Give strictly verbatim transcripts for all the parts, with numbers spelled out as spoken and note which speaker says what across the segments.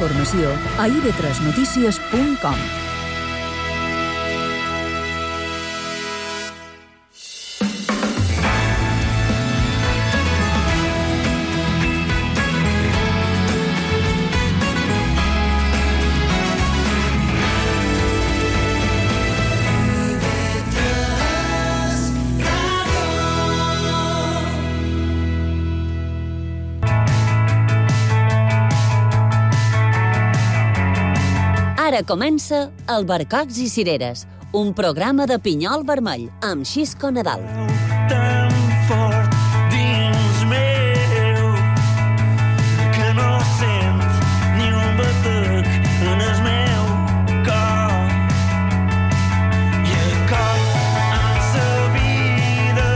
Speaker 1: informació a i ve tres notícies punt com.
Speaker 2: Ara comença Albercocs i Cireres, un programa de pinyol vermell amb Xisco Nadal.
Speaker 3: Tan fort dins meu que no sent ni un batec en el meu cor. I a cop en sa vida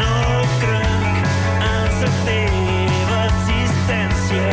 Speaker 3: no crec en sa teva existència.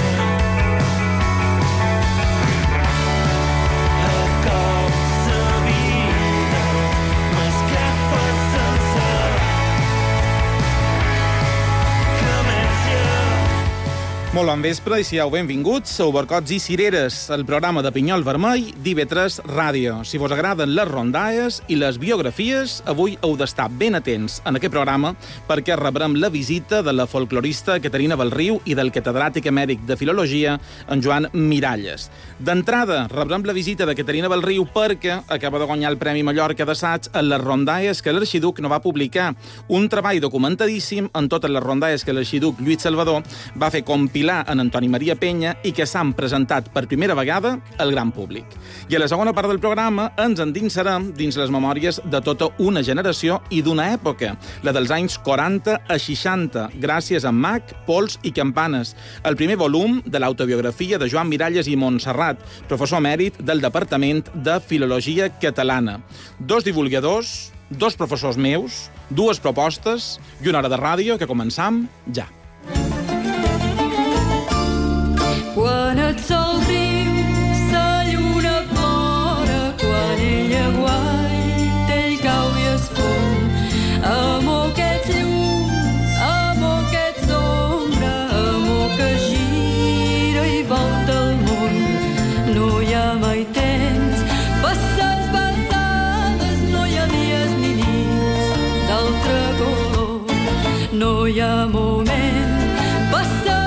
Speaker 4: Molt bon vespre i sigueu benvinguts a Albercocs i Cireres, el programa de pinyol vermell d'I ve tres Ràdio. Si vos agraden les rondalles i les biografies, avui heu d'estar ben atents en aquest programa perquè rebrem la visita de la folclorista Caterina Belriu i del catedràtic emèrit de Filologia, en Joan Miralles. D'entrada, rebrem la visita de Caterina Belriu perquè acaba de guanyar el Premi Mallorca d'assaig en les rondalles que l'Arxiduc no va publicar. Un treball documentadíssim en totes les rondalles que l'Arxiduc Lluís Salvador va fer compilar en Antoni Maria Penya i que s'han presentat per primera vegada al gran públic. I a la segona part del programa ens endinsarem dins les memòries de tota una generació i d'una època, la dels anys quaranta a seixanta, gràcies a Mac, Pols i Campanes, el primer volum de l'autobiografia de Joan Miralles i Montserrat, professor emèrit del Departament de Filologia Catalana. Dos divulgadors, dos professors meus, dues propostes i una hora de ràdio que començam ja.
Speaker 5: Quan el sol riu, sa lluna plora, quan ella guaita, ell cau i es fon. Amor que ets llum, amor que ets ombra, amor que gira i volta el món. No hi ha mai temps, passes basades, no hi ha dies ni nits d'altre color. No hi ha moment, passa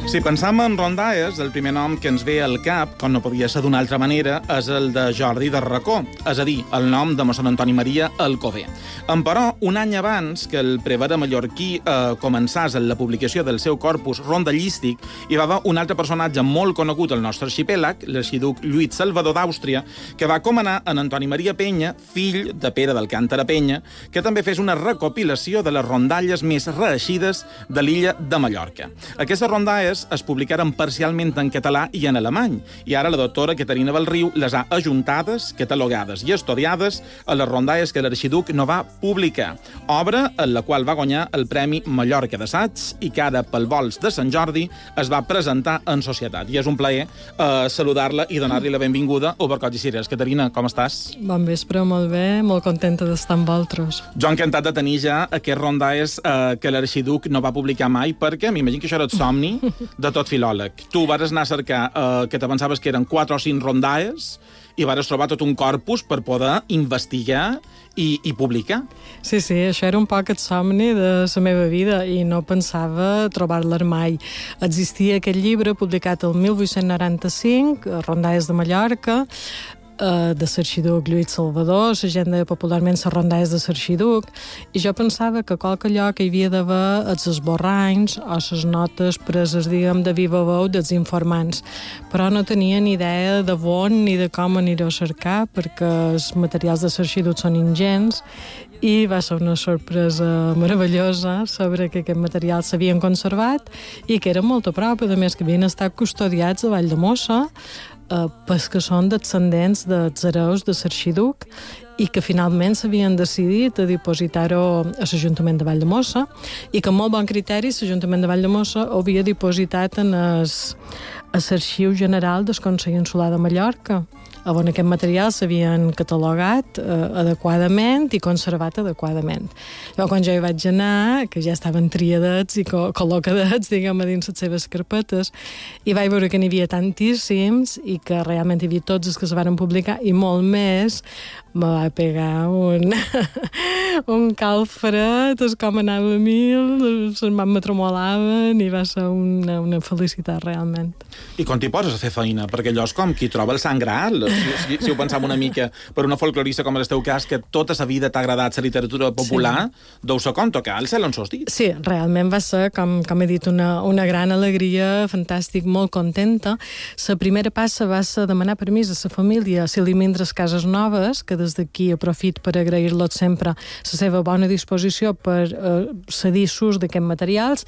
Speaker 4: Si pensam en rondalles, el primer nom que ens ve al cap, com no podia ser d'una altra manera, és el de Jordi de Racó, és a dir, el nom de mossèn Antoni Maria Alcover. Emperò, un any abans que el prevere mallorquí eh, començàs en la publicació del seu corpus rondallístic, hi va haver un altre personatge molt conegut al nostre arxipèlag, l'arxiduc Lluís Salvador d'Àustria, que va comanar en Antoni Maria Penya, fill de Pere d'Alcàntara Penya, que també fes una recopilació de les rondalles més reeixides de l'illa de Mallorca. Aquestes rondalles es publicaren parcialment en català i en alemany, i ara la doctora Caterina Belriu les ha ajuntades, catalogades i estudiades a les rondalles que l'arxiduc no va publicar, obra en la qual va guanyar el Premi Mallorca d'assaig i que ara, pel vols de Sant Jordi, es va presentar en societat. I és un plaer eh, saludar-la i donar-li la benvinguda a Albercocs i Cireres. Caterina, com estàs?
Speaker 6: Bon vespre, molt bé, molt contenta d'estar amb vosaltres.
Speaker 4: Jo encantat de tenir ja aquests rondalles eh, que l'arxiduc no va publicar mai, perquè m'imagino que això era el somni de tot filòleg. Tu vas anar a cercar eh, que te pensaves que eren quatre o cinc rondalles i vas trobar tot un corpus per poder investigar i, i publicar.
Speaker 6: Sí, sí, això era un poc el somni de la meva vida i no pensava trobar-la mai. Existia aquest llibre publicat el mil vuit-cents noranta-cinc, Rondalles de Mallorca, de l'arxiduc Lluís Salvador, la gent deia popularment les rondalles de l'arxiduc, i jo pensava que qualque lloc hi havia d'haver els esborranys o les notes preses, diguem, de viva veu dels informants, però no tenia ni idea de on ni de com aniré a cercar, perquè els materials de l'arxiduc són ingents, i va ser una sorpresa meravellosa saber que aquest material s'havien conservat i que eren molt a prop, a més que havien estat custodiats a Valldemossa, eh, pels que són descendents dels hereus de l'arxiduc i que finalment s'havien decidit a dipositar-ho a l'Ajuntament de Valldemossa i que amb molt bon criteri l'Ajuntament de Valldemossa ho havia dipositat en es, a l'Arxiu General del Consell Insular de Mallorca. on aquests materials s'havien catalogat eh, adequadament i conservat adequadament. Llavors, quan jo hi vaig anar, que ja estaven triadets i co col·locadets, diguem, a dins les seves carpetes, i vaig veure que n'hi havia tantíssims i que realment hi havia tots els que es van publicar i molt més, me va pegar un, un calfred, és com anava a mil, les mans me tremolaven i va ser una, una felicitat realment.
Speaker 4: I quan t'hi poses a fer feina? Perquè allò és com qui troba el sant graal. Si, si, si ho pensam una mica per una folclorista com el teu cas, que tota la vida t'ha agradat la literatura popular, sí. Deu ser com tocar el cel en sos dits.
Speaker 6: Sí, realment va ser, com, com he dit, una, una gran alegria, fantàstic, molt contenta. La primera passa va ser demanar permís a la família a Cilimindres Cases Noves, que des d'aquí aprofit per agrair-los sempre la seva bona disposició per eh, cedir s'ús d'aquests materials,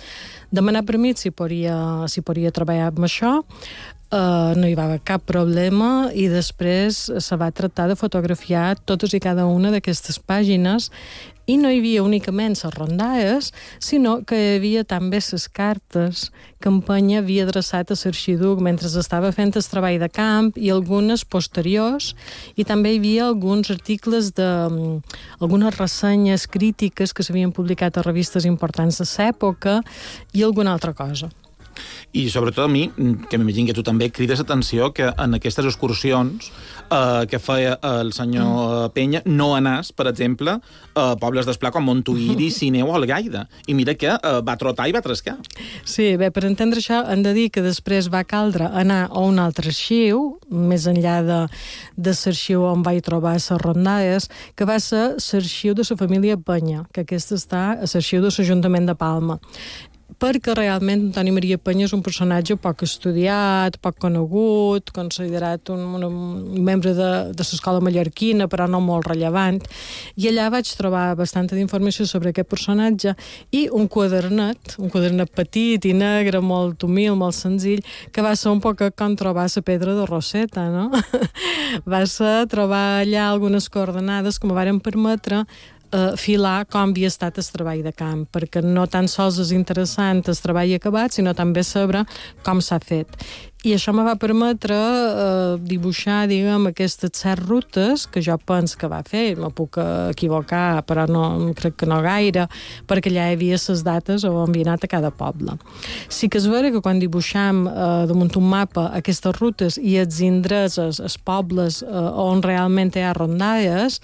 Speaker 6: demanar permís si podria, si podria treballar amb això. Uh, no hi va haver cap problema i després se va tractar de fotografiar totes i cada una d'aquestes pàgines i no hi havia únicament les rondalles, sinó que hi havia també les cartes que Empenya havia adreçat a l'Arxiduc mentre estava fent el treball de camp i algunes posteriors, i també hi havia alguns articles de algunes ressenyes crítiques que s'havien publicat a revistes importants de l'època i alguna altra cosa.
Speaker 4: I sobretot a mi, que m'imagino que tu també crides atenció que en aquestes excursions eh, que feia el senyor Penya no anàs, per exemple, a pobles d'esplà com Montuïri, Sineu o Algaida. I mira que eh, va trotar i va trascar.
Speaker 6: Sí, bé, per entendre això hem de dir que després va caldre anar a un altre arxiu, més enllà de, de l'arxiu on vaig trobar les rondalles, que va ser l'arxiu de la família Penya, que aquest està a l'arxiu de l'Ajuntament de Palma. Perquè realment Antoni Maria Penya és un personatge poc estudiat, poc conegut, considerat un, un, un membre de, de l'escola mallorquina, però no molt rellevant. I allà vaig trobar bastanta d'informació sobre aquest personatge i un quadernet, un quadernet petit i negre, molt humil, molt senzill, que va ser un poc com trobar la pedra de Rosetta, no? Va ser trobar allà algunes coordenades que me varen permetre Uh, filar com havia estat el treball de camp, perquè no tan sols és interessant el treball acabat, sinó també saber com s'ha fet. I això me va permetre uh, dibuixar, diguem, aquestes set rutes que jo penso que va fer, me puc equivocar, però no, crec que no gaire, perquè allà hi havia les dates on havia anat a cada poble. Sí que és vera que quan dibuixam uh, damunt un mapa aquestes rutes i els indrets, els, els pobles uh, on realment hi ha rondalles,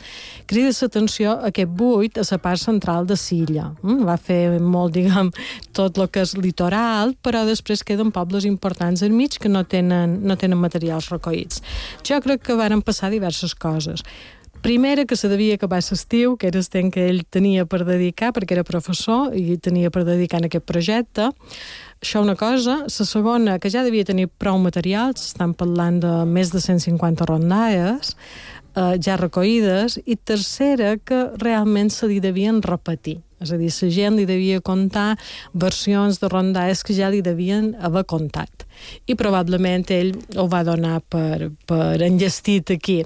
Speaker 6: crida l'atenció aquest buit a la part central de l'illa. Mm? Va fer molt, diguem, tot el que és litoral, però després queden pobles importants al mig que no tenen, no tenen materials recollits. Jo crec que varen passar diverses coses. Primera, que se devia acabar l'estiu, que era el temps que ell tenia per dedicar, perquè era professor i tenia per dedicar en aquest projecte. Això una cosa. La segona, que ja devia tenir prou materials, estan parlant de més de cent cinquanta rondalles, eh, ja recollides, i tercera, que realment se li devien repetir. És a dir, la gent li devia contar versions de rondalles que ja li devien haver contat. I probablement ell ho va donar per, per enllestit aquí.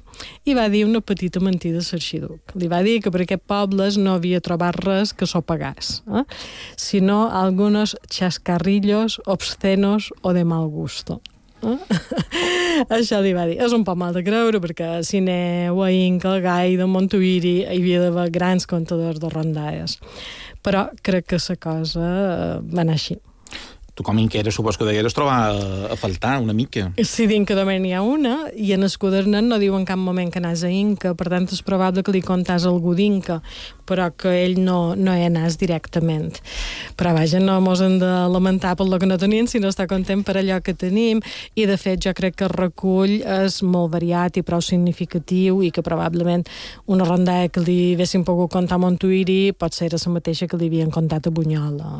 Speaker 6: I va dir una petita mentida a l'arxiduc. Li va dir que per aquests pobles no havia trobat res que s'ho pagàs, eh? sinó algunos chascarrillos obscenos o de mal gusto. Eh? Això li va dir. És un poc mal de creure, perquè a Sineu, a Inca, a Gaida, a Montuïri hi havia d'haver grans comptadors de rondalles. Però crec que la cosa va anar així.
Speaker 4: Tu com inqueres, supos que degueres trobar a faltar una mica.
Speaker 6: Sí, d'Inca només n'hi ha una, i en el quadernet no diu en cap moment que anàs a Inca, per tant és probable que li contàs algú d'Inca, però que ell no, no hi anàs directament. Però vaja, no mos hem de lamentar per lo que no tenim, sinó estar content per allò que tenim, i de fet jo crec que el recull és molt variat i prou significatiu, i que probablement una rondalla que li haguessin pogut contar a Montuïri pot ser la mateixa que li havien contat a Bunyola.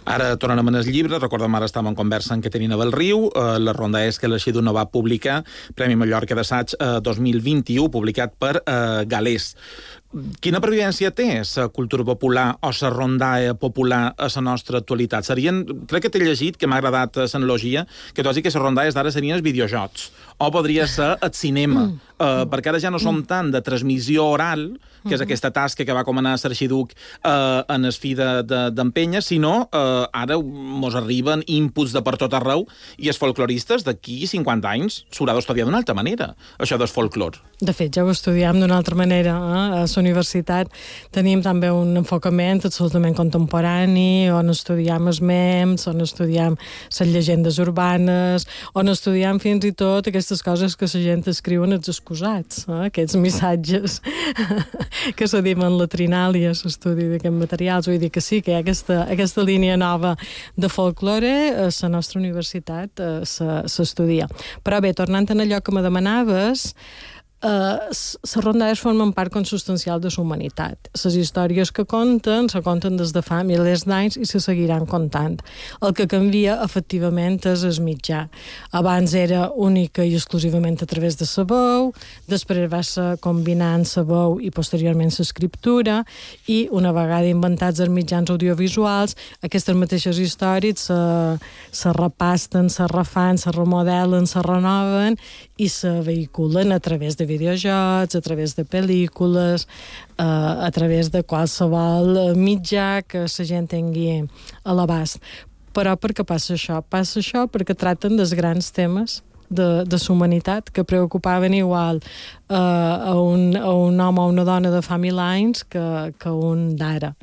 Speaker 4: Ara tornarem en el llibre. Recordem, ara estàvem en conversa amb Caterina Belriu. Eh, la ronda és que l'Arxiduc no va publicar Premi Mallorca d'Assaig eh, dos mil vint-i-u, publicat per eh, Galés. quina pervivència té la cultura popular o la rondaia popular a la nostra actualitat? Serien, crec que t'he llegit, que m'ha agradat l'analogia, que tu has dit que les rondaies d'ara serien els videojocs, o podria ser el cinema, mm. uh, perquè ara ja no som tant de transmissió oral, que és aquesta tasca que va comanar l'Arxiduc uh, en el fi d'empenya, de, sinó uh, ara mos arriben inputs de per tot arreu i els folcloristes d'aquí cinquanta anys s'haurà d'estudiar d'una altra manera, això del folclor.
Speaker 6: De fet, ja ho estudiem d'una altra manera. Eh? A la universitat tenim també un enfocament absolutament contemporani, on estudiem els memes, on estudiem les llegendes urbanes, on estudiem fins i tot aquestes coses que la gent escriu en els excusats, eh? Aquests missatges que se diuen la trinàlia, l'estudi d'aquests materials. Vull dir que sí, que hi ha aquesta, aquesta línia nova de folklore, a la nostra universitat eh, s'estudia. Però bé, tornant a allò que me demanaves, les uh, rondalles formen part consubstancial de la humanitat. Les històries que conten se conten des de fa milers d'anys i se seguiran contant. El que canvia, efectivament, és el mitjà. Abans era única i exclusivament a través de la veu, després va ser combinant la veu i posteriorment l'escriptura, i una vegada inventats els mitjans audiovisuals, aquestes mateixes històries se, se repasten, se refan, se remodelen, se renoven i se vehiculen a través de videojocs, a través de pel·lícules, eh, a través de qualsevol mitjà que la gent tingui a l'abast. Però per què passa això? Passa això perquè traten dels grans temes de, de la humanitat que preocupaven igual eh, a, un, a un home o una dona de fa mil anys que, que un d'ara.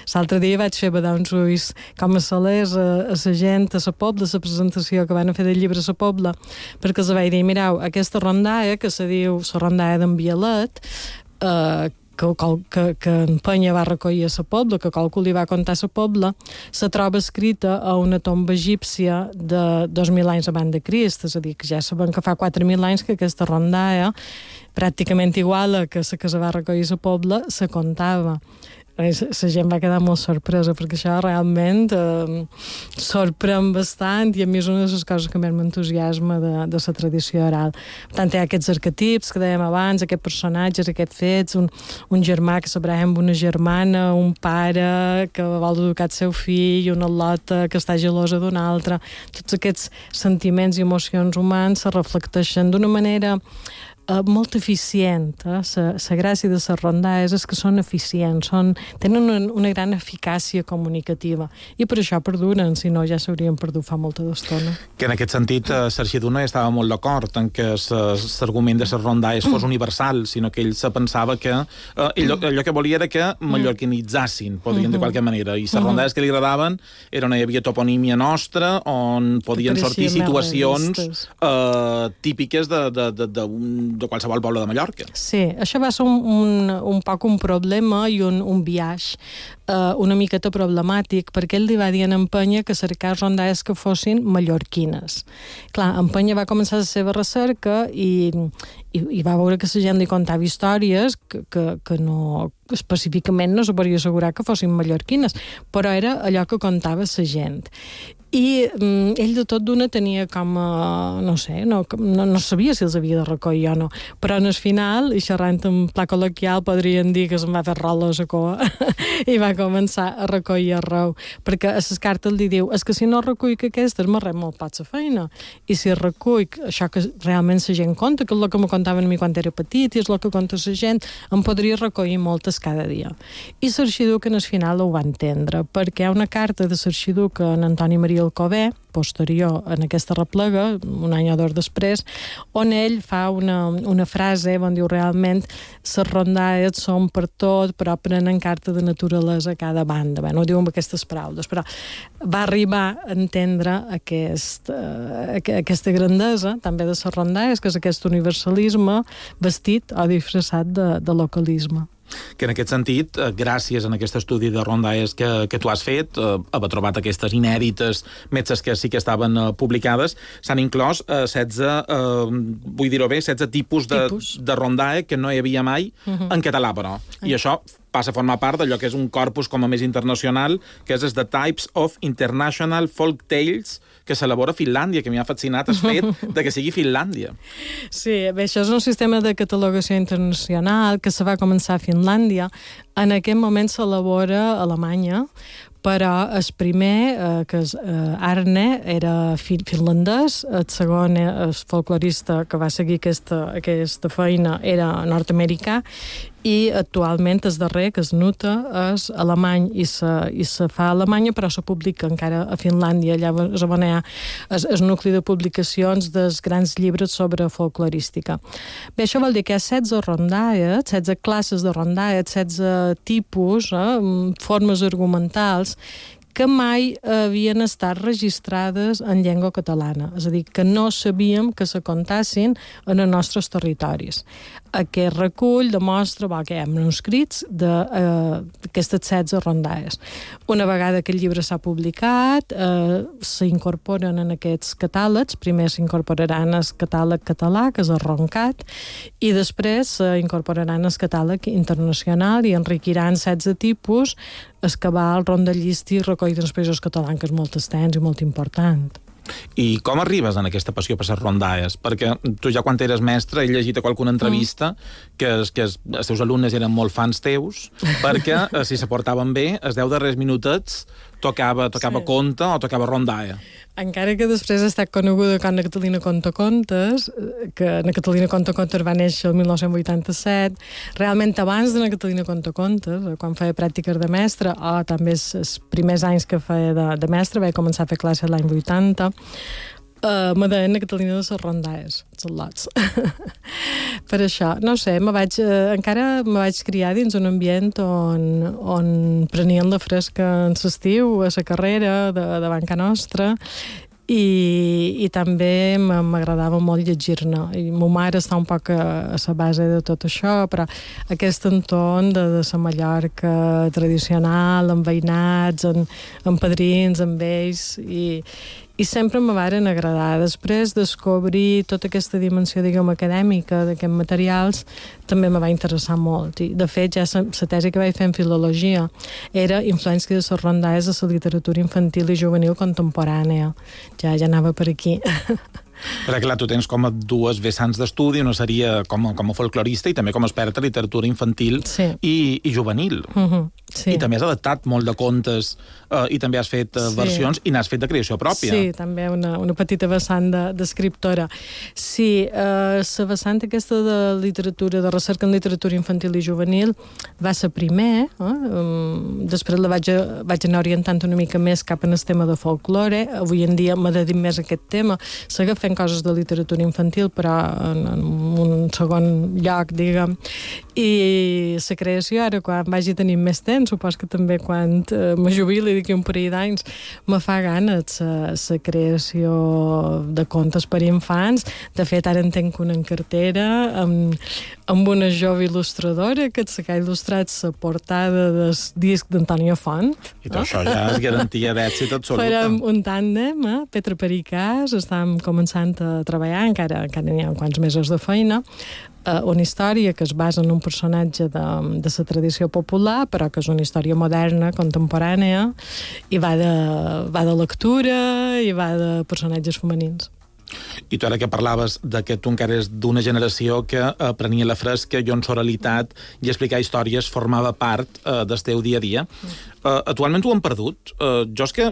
Speaker 6: L'altre dia vaig fer badar uns ulls com a salers a, a la gent, a la Pobla, a la presentació que van fer del llibre a la Pobla, perquè els vaig dir, mireu, aquesta rondalla, que se diu la rondalla d'en Bialet, eh, que, que, que en Penya va recollir a la Pobla, que qualcú li va contar a la Pobla, se troba escrita a una tomba egípcia de dos mil anys abans de Crist, és a dir, que ja sabem que fa quatre mil anys que aquesta rondalla, pràcticament igual a que la que se va recollir a la Pobla, se contava. La gent va quedar molt sorpresa perquè això realment eh, sorprèn bastant i a mi és una de les coses que més m'entusiasma de, de la tradició oral. Per tant, hi ha aquests arquetips que dèiem abans, aquests personatges, aquests fets, un, un germà que s'abraça amb una germana, un pare que vol educar el seu fill, una al·lota que està gelosa d'un altre. Tots aquests sentiments i emocions humans se reflecteixen d'una manera Uh, molt eficient. La eh? gràcia de les rondalles és que són eficients, són, tenen una, una gran eficàcia comunicativa i per això perduren, si no ja s'haurien perdut fa molta d'estona.
Speaker 4: Que en aquest sentit eh, Sarxidú no estava molt d'acord en que l'argument de les rondalles fos universal, sinó que ell se pensava que eh, ell, allò que volia era que mallorquinitzassin, podríem de qualque manera, i les rondalles que li agradaven era on hi havia toponímia nostra, on podien sortir situacions eh, típiques de, de, de, de un de qualsevol poble de Mallorca.
Speaker 6: Sí, això va ser un, un, un poc un problema i un, un biaix uh, una miqueta problemàtic, perquè ell li va dir a en Penya que cercar rondalles que fossin mallorquines. Clar, en Penya va començar la seva recerca i, i, i va veure que la gent li contava històries que, que, que no específicament no se podia assegurar que fossin mallorquines, però era allò que contava la gent. I mm, ell de tot d'una tenia com a, no sé, no, no, no sabia si els havia de recollir o no, però en el final, i xerrant en pla col·loquial, podrien dir que se'n va fer rola a la cua i va començar a recollir arreu, perquè a les cartes li diu, és que si no recull que aquestes m'arrep molt poc la feina, i si recull això que realment la gent conta, que és el que me contaven a mi quan era petit i és el que conta la gent, em podria recollir moltes cada dia. I l'Arxiduc en el final ho va entendre, perquè hi ha una carta de l'Arxiduc en Antoni Maria Alcover, posterior en aquesta replega, un any o dos després, on ell fa una, una frase on diu realment les rondalles són per tot, però prenen carta de naturalesa a cada banda. Bé, no ho diu amb aquestes paraules, però va arribar a entendre aquest, uh, aquesta grandesa també de les rondalles, que és aquest universalisme vestit o disfressat de, de localisme.
Speaker 4: Que en aquest sentit, gràcies a aquest estudi de rondalles que, que tu has fet, eh, haver trobat aquestes inèdites metzes que sí que estaven eh, publicades, s'han inclòs eh, setze, eh, vull dir-ho bé, setze tipus de,
Speaker 6: tipus.
Speaker 4: de rondalla que no hi havia mai uh-huh. en català, però. Uh-huh. I això passa a formar part d'allò que és un corpus com a més internacional, que és el The Types of International Folk Tales, que s'elabora a Finlàndia, que m'hi ha fascinat el fet de que sigui Finlàndia.
Speaker 6: Sí, bé, això és un sistema de catalogació internacional que se va començar a Finlàndia. En aquest moment s'elabora a Alemanya, però el primer, eh, que és eh, Arne, era fi finlandès, el segon, el folclorista que va seguir aquesta, aquesta feina, era nord-americà, i actualment el darrer, que es Nuta, és alemany i se, i se fa a Alemanya, però se publica encara a Finlàndia. Allà és on hi ha el, el nucli de publicacions dels grans llibres sobre folclorística. Bé, això vol dir que hi ha setze rondalles, setze classes de rondalles, setze tipus, eh, formes argumentals, que mai havien estat registrades en llengua catalana. És a dir, que no sabíem que se contassin en els nostres territoris. Aquest recull demostra bo, que hi ha manuscrits d'aquestes eh, setze rondalles. Una vegada que el llibre s'ha publicat, eh, s'incorporen en aquests catàlegs. Primer s'incorporaran el catàleg català, que és el Roncat, i després s'incorporaran el catàleg internacional i enriquiran setze tipus, el cabal, rondallista i recoll dels països catalans, que és molt extens i molt important.
Speaker 4: I com arribes en aquesta passió per les rondalles? Perquè tu ja quan eres mestre he llegit a qualcuna entrevista mm. que, es, que es, els teus alumnes eren molt fans teus, perquè eh, si se portaven bé, els deu darrers minutets tocava, tocava sí. conte o tocava rondalla.
Speaker 6: Encara que després ha estat coneguda com Ana Catalina Conta Contes, que Ana Catalina Conta Contes va néixer el mil nou-cents vuitanta-set, realment abans d'Ana Catalina Conta Contes, quan feia pràctiques de mestre, o també els primers anys que feia de, de mestre, vaig començar a fer classe l'any vuitanta, Uh, me deien Catalina de les rondalles, els lots. Per això, no sé, me vaig, uh, encara me vaig criar dins un ambient on, on prenien la fresca en l'estiu, a la carrera, de, de banca nostra, i, i també m'agradava molt llegir-ne. I ma mare està un poc a, a la base de tot això, però aquest entorn de, de la Mallorca tradicional, amb veïnats, amb, amb padrins, amb ells, i, i sempre me varen agradar. Després descobrir tota aquesta dimensió, diguem, acadèmica d'aquests materials també me va interessar molt. I, de fet, ja la tesi que vaig fer en filologia era influència de les rondalles de la literatura infantil i juvenil contemporània. Ja, ja anava per aquí.
Speaker 4: Perquè, clar, tu tens com a dues vessants d'estudi, una seria com a, com a folclorista i també com a experta en literatura infantil sí. i, i juvenil. Uh-huh. Sí. I també has adaptat molt de contes eh, i també has fet eh, sí. versions i n'has fet de creació pròpia.
Speaker 6: Sí, també una, una petita vessant d'escriptora. De, sí, eh, la vessant aquesta de literatura, de recerca en literatura infantil i juvenil va ser primer, eh? um, després la vaig, vaig anar orientant una mica més cap en el tema de folklore. Avui en dia m'ha dedicat més a aquest tema. Segueix fent coses de literatura infantil, però en, en un segon lloc, diguem. I la creació, ara, quan vagi tenint més temps, supos que també quan eh, me jubili d'aquí un parell d'anys, me fa ganes la creació de contes per infants. De fet, ara en tenc una en cartera amb, amb una jove il·lustradora que s'ha il·lustrat la portada del disc d'Antònia Font.
Speaker 4: I tot oh? això ja és garantia d'èxit absoluta.
Speaker 6: Farem un tàndem, eh? Petra Pericàs, estem començant a treballar, encara, encara n'hi ha quants mesos de feina, Uh, una història que es basa en un personatge de, de la tradició popular, però que és una història moderna, contemporània, i va de, va de lectura i va de personatges femenins.
Speaker 4: I tu ara que parlaves de que tu encara és d'una generació que eh, prenia la fresca i on l'oralitat i explicar històries formava part eh, del teu dia a dia. Mm. Uh, actualment ho hem perdut. Uh, jo és que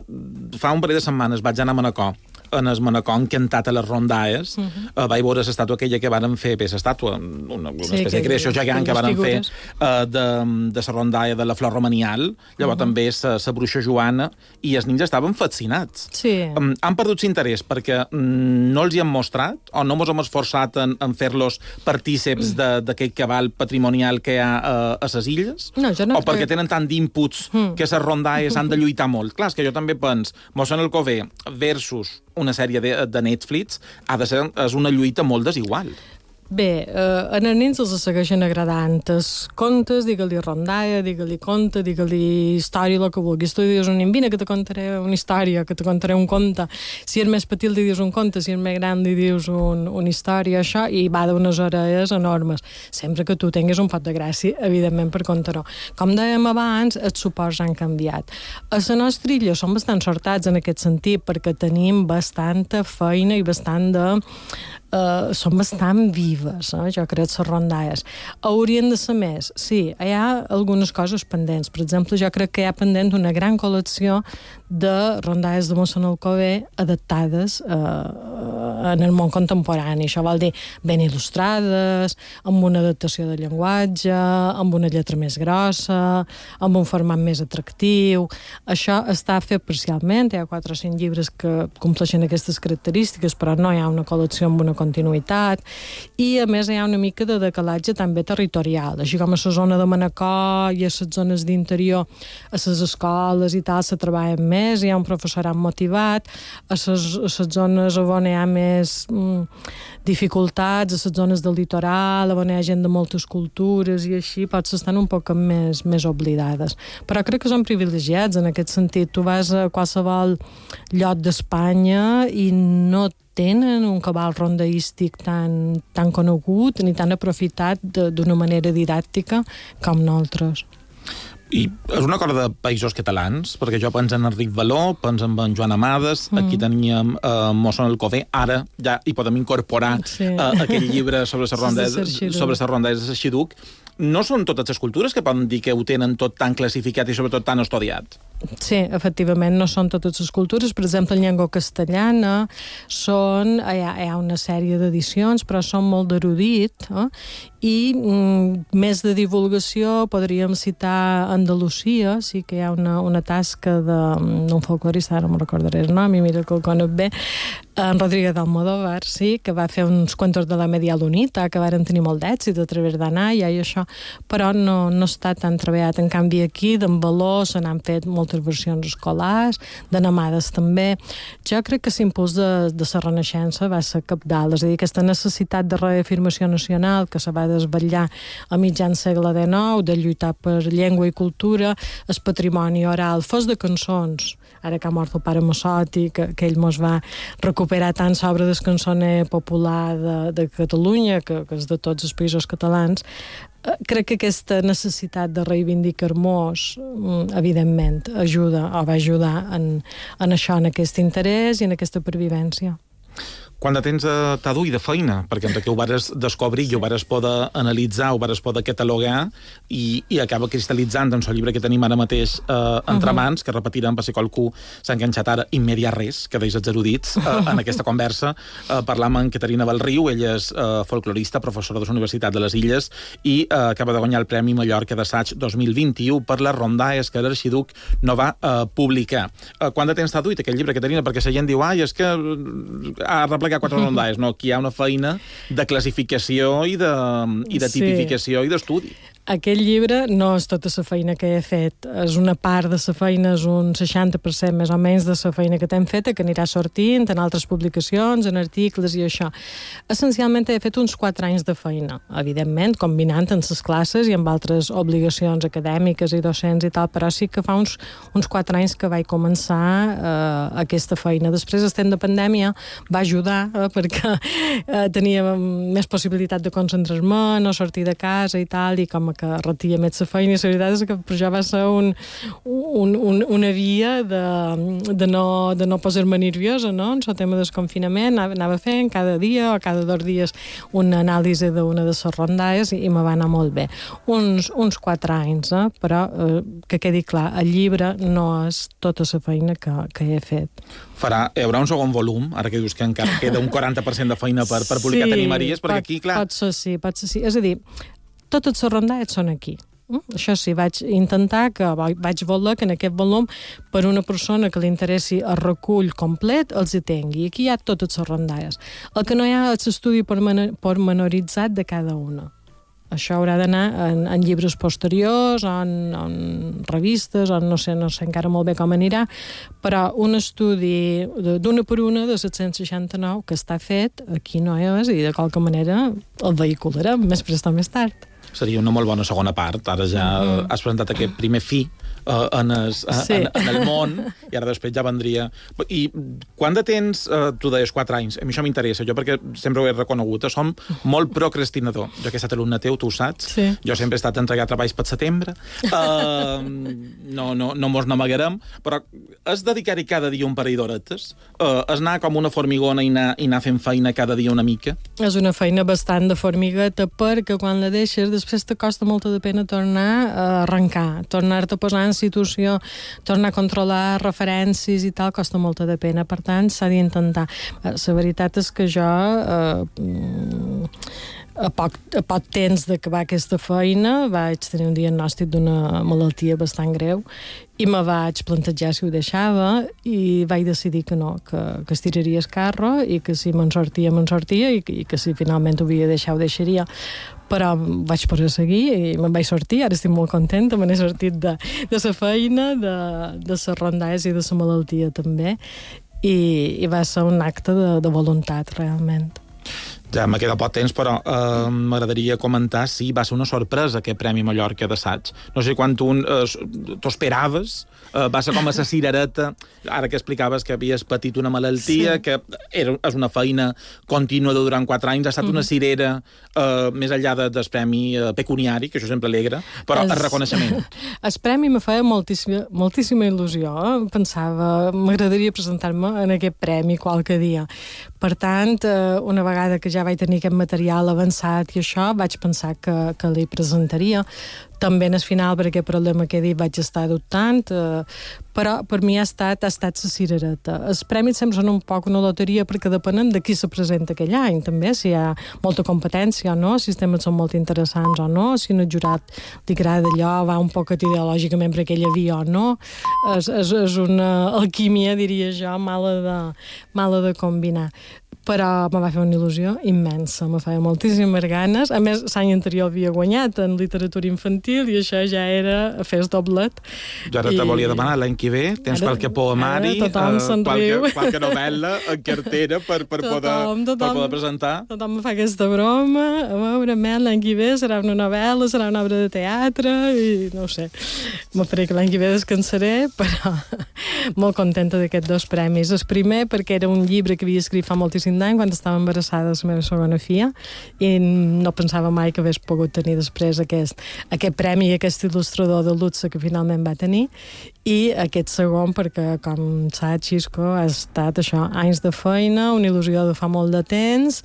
Speaker 4: fa un parell de setmanes vaig anar a Manacor, en el Manacor encantat a les rondalles. Uh -huh. uh, vaig veure l'estàtua aquella que varen fer, bé, l'estàtua, una, una sí, espècie de creació gegant que varen fer uh, de, de la rondalla de la Flor Romanial, llavors uh -huh. també la Bruixa Joana, i els nens estaven fascinats. Sí. Um, han perdut l'interès perquè um, no els hi han mostrat, o no mos hem esforçat en, en fer-los partíceps mm. d'aquest cabal patrimonial que hi ha uh, a les illes,
Speaker 6: no, jo no
Speaker 4: o perquè tenen tant d'inputs mm. que les rondalles han de lluitar molt. Clar, és que jo també pens, Mossèn Alcover versus una sèrie de, de Netflix ha de ser és una lluita molt desigual.
Speaker 6: Bé, eh, a els nens els segueixen agradant els contes, digue-li rondalla, digue-li conte, digue-li història, el que vulguis. Tu dius un vine que te contaré una història, que te contaré un conte. Si és més petit li dius un conte, si és més gran li dius un, una història, això, i va d'unes orelles enormes. Sempre que tu tinguis un pot de gràcia, evidentment, per contar-ho. Com dèiem abans, els suports han canviat. A la nostra illa som bastant sortats en aquest sentit, perquè tenim bastanta feina i bastant de... Uh, són bastant vives, eh? Jo crec, les rondalles. Haurien de ser més. Sí, hi ha algunes coses pendents. Per exemple, jo crec que hi ha pendent una gran col·lecció de rondalles de mossèn Alcover adaptades uh, en el món contemporani. Això vol dir ben il·lustrades, amb una adaptació de llenguatge, amb una lletra més grossa, amb un format més atractiu. Això està fet parcialment. Hi ha quatre o cinc llibres que compleixen aquestes característiques, però no hi ha una col·lecció amb una continuïtat, i a més hi ha una mica de decalatge també territorial, així com a la zona de Manacor i a les zones d'interior, a les escoles i tal se treballen més, hi ha un professorat motivat, a les, a les zones on hi ha més mm, dificultats, a les zones del litoral, on hi ha gent de moltes cultures i així, potser estan un poc més, més oblidades. Però crec que són privilegiats en aquest sentit. Tu vas a qualsevol lloc d'Espanya i no tenen un cabal rondaístic tan, tan conegut ni tan aprofitat d'una manera didàctica com nosaltres.
Speaker 4: I és una cosa de països catalans, perquè jo penso en Enric Való, penso en en Joan Amades, mm. aquí teníem uh, mossèn Alcover, ara ja hi podem incorporar sí. uh, aquell llibre sobre les rondalles sobre les rondalles de Xarxiduc. No són totes les cultures que poden dir que ho tenen tot tan classificat i sobretot tan estudiat?
Speaker 6: Sí, efectivament, no són totes les cultures. Per exemple, en llengua castellana són, hi ha, hi ha una sèrie d'edicions, però són molt d'erudit, eh? I mm, més de divulgació podríem citar Andalusia, sí que hi ha una, una tasca d'un folclorista, ara no me'n recordaré el nom, i mira que el conec bé, en Rodríguez Almodóvar, sí, que va fer uns cuentos de la Media Lunita, que varen tenir molt d'èxit a través d'Anaya i això, però no, no està tan treballat. En canvi, aquí, d'en Való, se n'han fet moltes versions escolars, de Namades també. Jo crec que l'impuls de, de la Renaixença va ser cabdal, és a dir, aquesta necessitat de reafirmació nacional que se va desvetllar a mitjan segle dinou, de lluitar per llengua i cultura, el patrimoni oral, fos de cançons, ara que ha mort el pare Massotti, que, que ell mos va recuperar tant sobre del cançoner popular de, de Catalunya, que, que és de tots els països catalans. Crec que aquesta necessitat de reivindicar-nos, evidentment, ajuda o va ajudar en, en això, en aquest interès i en aquesta pervivència.
Speaker 4: Quant de temps t'ha dut de feina? Perquè entre que ho vares descobrir i ho vares poder analitzar, ho vares poder catalogar i, i acaba cristal·litzant doncs, el llibre que tenim ara mateix eh, entre uh -huh. mans, que repetirem per si qualcú s'ha enganxat ara immediat res, que deis els erudits, eh, en aquesta conversa. Eh, parlam amb Caterina Valriu, ella és eh, folclorista, professora de la Universitat de les Illes i eh, acaba de guanyar el Premi Mallorca d'Assaig dos mil vint-i-u per les rondalles que l'Arxiduc no va eh, publicar. Eh, quant de temps t'ha dut aquell llibre, Caterina? Perquè la gent diu, ai, és que ha replegat quatre rondalles, no? Aquí hi ha una feina de classificació i de, i de tipificació sí. i d'estudi.
Speaker 6: Aquest llibre no és tota la feina que he fet, és una part de la feina, és un seixanta per cent més o menys de la feina que t'hem feta, que anirà sortint en altres publicacions, en articles i això. Essencialment he fet uns quatre anys de feina, evidentment, combinant en les classes i amb altres obligacions acadèmiques i docents i tal, però sí que fa uns, uns quatre anys que vaig començar eh, aquesta feina. Després, estem de pandèmia, va ajudar, eh, perquè eh, tenia més possibilitat de concentrar-me, no sortir de casa i tal, i com que retia més la feina, i la veritat és que per jo va ser un, un, un, una via de, de no, de no posar-me nerviosa, no? En el tema del confinament anava, anava fent cada dia o cada dos dies una anàlisi d'una de les rondalles i, i me va anar molt bé. Uns, uns quatre anys, eh? Però eh, que quedi clar, el llibre no és tota la feina que, que he fet.
Speaker 4: Farà, hi haurà un segon volum, ara que dius que encara queda un quaranta per cent de feina per, per publicar, sí, t'animaries? Perquè
Speaker 6: pot,
Speaker 4: aquí, clar...
Speaker 6: pot ser sí, pot ser sí. És a dir, totes les rondalles són aquí. Mm? Això sí, vaig intentar que vaig voler que en aquest volum, per una persona que li interessi el recull complet, els hi tingui. Aquí hi ha totes les rondalles. El que no hi ha és l'estudi pormenoritzat de cada una. això haurà d'anar en, en llibres posteriors, o en, en revistes, o no sé, no sé encara molt bé com anirà, però un estudi d'una per una de set-cents seixanta-nou que està fet, aquí no és, i de qualque manera el vehicularem més prest o més tard.
Speaker 4: Seria una molt bona segona part. Ara ja mm. has presentat aquest primer fi uh, en, es, sí. en, en el món, i ara després ja vendria... I quan de temps, uh, tu deies quatre anys, a mi això m'interessa, jo perquè sempre ho he reconegut, som molt procrastinador. Jo que he estat alumne teu, tu ho saps,
Speaker 6: sí.
Speaker 4: Jo sempre he estat entregat treballs per setembre, uh, no, no, no mos n'amagarem, però és dedicar-hi cada dia un parell d'horetes, uh, és anar com una formigona i anar, i anar fent feina cada dia una mica.
Speaker 6: És una feina bastant de formigueta, perquè quan la deixes després te costa molta de pena tornar a arrencar, tornar-te a posar en situació, tornar a controlar referències i tal, costa molta de pena. Per tant, s'ha d'intentar. La veritat és que jo eh, a poc, a poc temps d'acabar aquesta feina vaig tenir un diagnòstic d'una malaltia bastant greu i me vaig plantejar si ho deixava i vaig decidir que no, que, que estiraria el carro i que si me'n sortia, me'n sortia i que, i que si finalment ho havia de deixar, ho deixaria. Però vaig poder seguir i me'n vaig sortir, ara estic molt contenta, me n'he sortit de, de la feina, de, de les rondalles i de la malaltia també, i, i va ser un acte de, de voluntat realment.
Speaker 4: Ja me queda poc temps, però eh, m'agradaria comentar si va ser una sorpresa aquest Premi Mallorca d'assaig. No sé quan tu eh, t'ho esperaves, eh, va ser com a la cirereta, ara que explicaves que havies patit una malaltia, sí. que era, és una feina contínua de durant quatre anys, ha estat mm. una cirera eh, més enllà de, del premi eh, pecuniari, que això sempre alegra, però es... el reconeixement.
Speaker 6: El premi me feia moltíssima, moltíssima il·lusió. Pensava, m'agradaria presentar-me en aquest premi qualque dia. Per tant, eh, una vegada que ja vaig tenir aquest material avançat i això, vaig pensar que, que li presentaria. També en el final, per aquest problema que he dit, vaig estar dubtant, eh, però per mi ha estat, ha estat la cirereta. Els premis sempre són un poc una loteria perquè depenen de qui se presenta aquell any, també, si hi ha molta competència o no, si els temes són molt interessants o no, si un jurat li agrada allò, va un poc ideològicament per aquella via o no. És, és, és una alquímia, diria jo, mala de, mala de combinar. Però me va fer una il·lusió immensa, me feia moltíssimes ganes. A més, l'any anterior havia guanyat en literatura infantil i això ja era a fer el doblet.
Speaker 4: Jo ara I... te volia demanar, l'any que ve tens ara, qualque poemari, uh, qualque, qualque novel·la en cartera per, per, tothom, poder, tothom, per poder presentar.
Speaker 6: Tothom me fa aquesta broma. A veure, l'any que ve serà una novel·la, serà una obra de teatre i no ho sé. Me faré que l'any que ve descansaré, però molt contenta d'aquests dos premis. El primer perquè era un llibre que havia escrit fa moltíssim d'any, quan estava embarassada de la meva segona filla, i no pensava mai que hagués pogut tenir després aquest, aquest premi i aquest il·lustrador de luxe que finalment va tenir, i aquest segon perquè, com saps, Xisco, ha estat això, anys de feina, una il·lusió de fa molt de temps,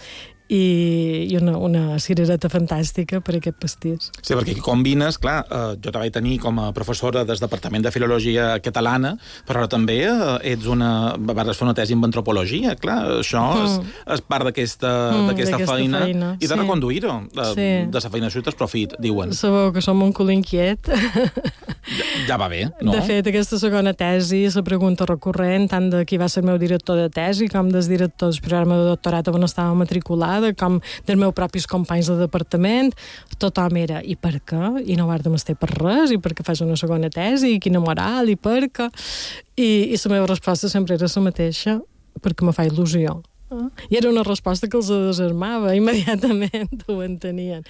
Speaker 6: i, i una, una cirereta fantàstica per aquest pastís.
Speaker 4: Sí, perquè aquí combines, clar, eh, jo te vaig tenir com a professora del Departament de Filologia Catalana, però ara també eh, ets una... vas fer una tesi en antropologia, clar, això mm. és, és part d'aquesta mm, feina, feina, i de sí. reconduir-ho. De, sí. de la feina xuta es profit, diuen.
Speaker 6: Sabeu que som un cul inquiet.
Speaker 4: Ja, ja va bé, no?
Speaker 6: De fet, aquesta segona tesi, la pregunta recurrent, tant de qui va ser el meu director de tesi com del director del programa de doctorat on estava matriculat, com dels meus propis companys de departament, tothom era, i per què? I no guardem estar per res, i per què fas una segona tesi, i quina moral, i per què? I, i la meva resposta sempre era la mateixa, perquè me fa il·lusió. I era una resposta que els desarmava, immediatament ho entenien.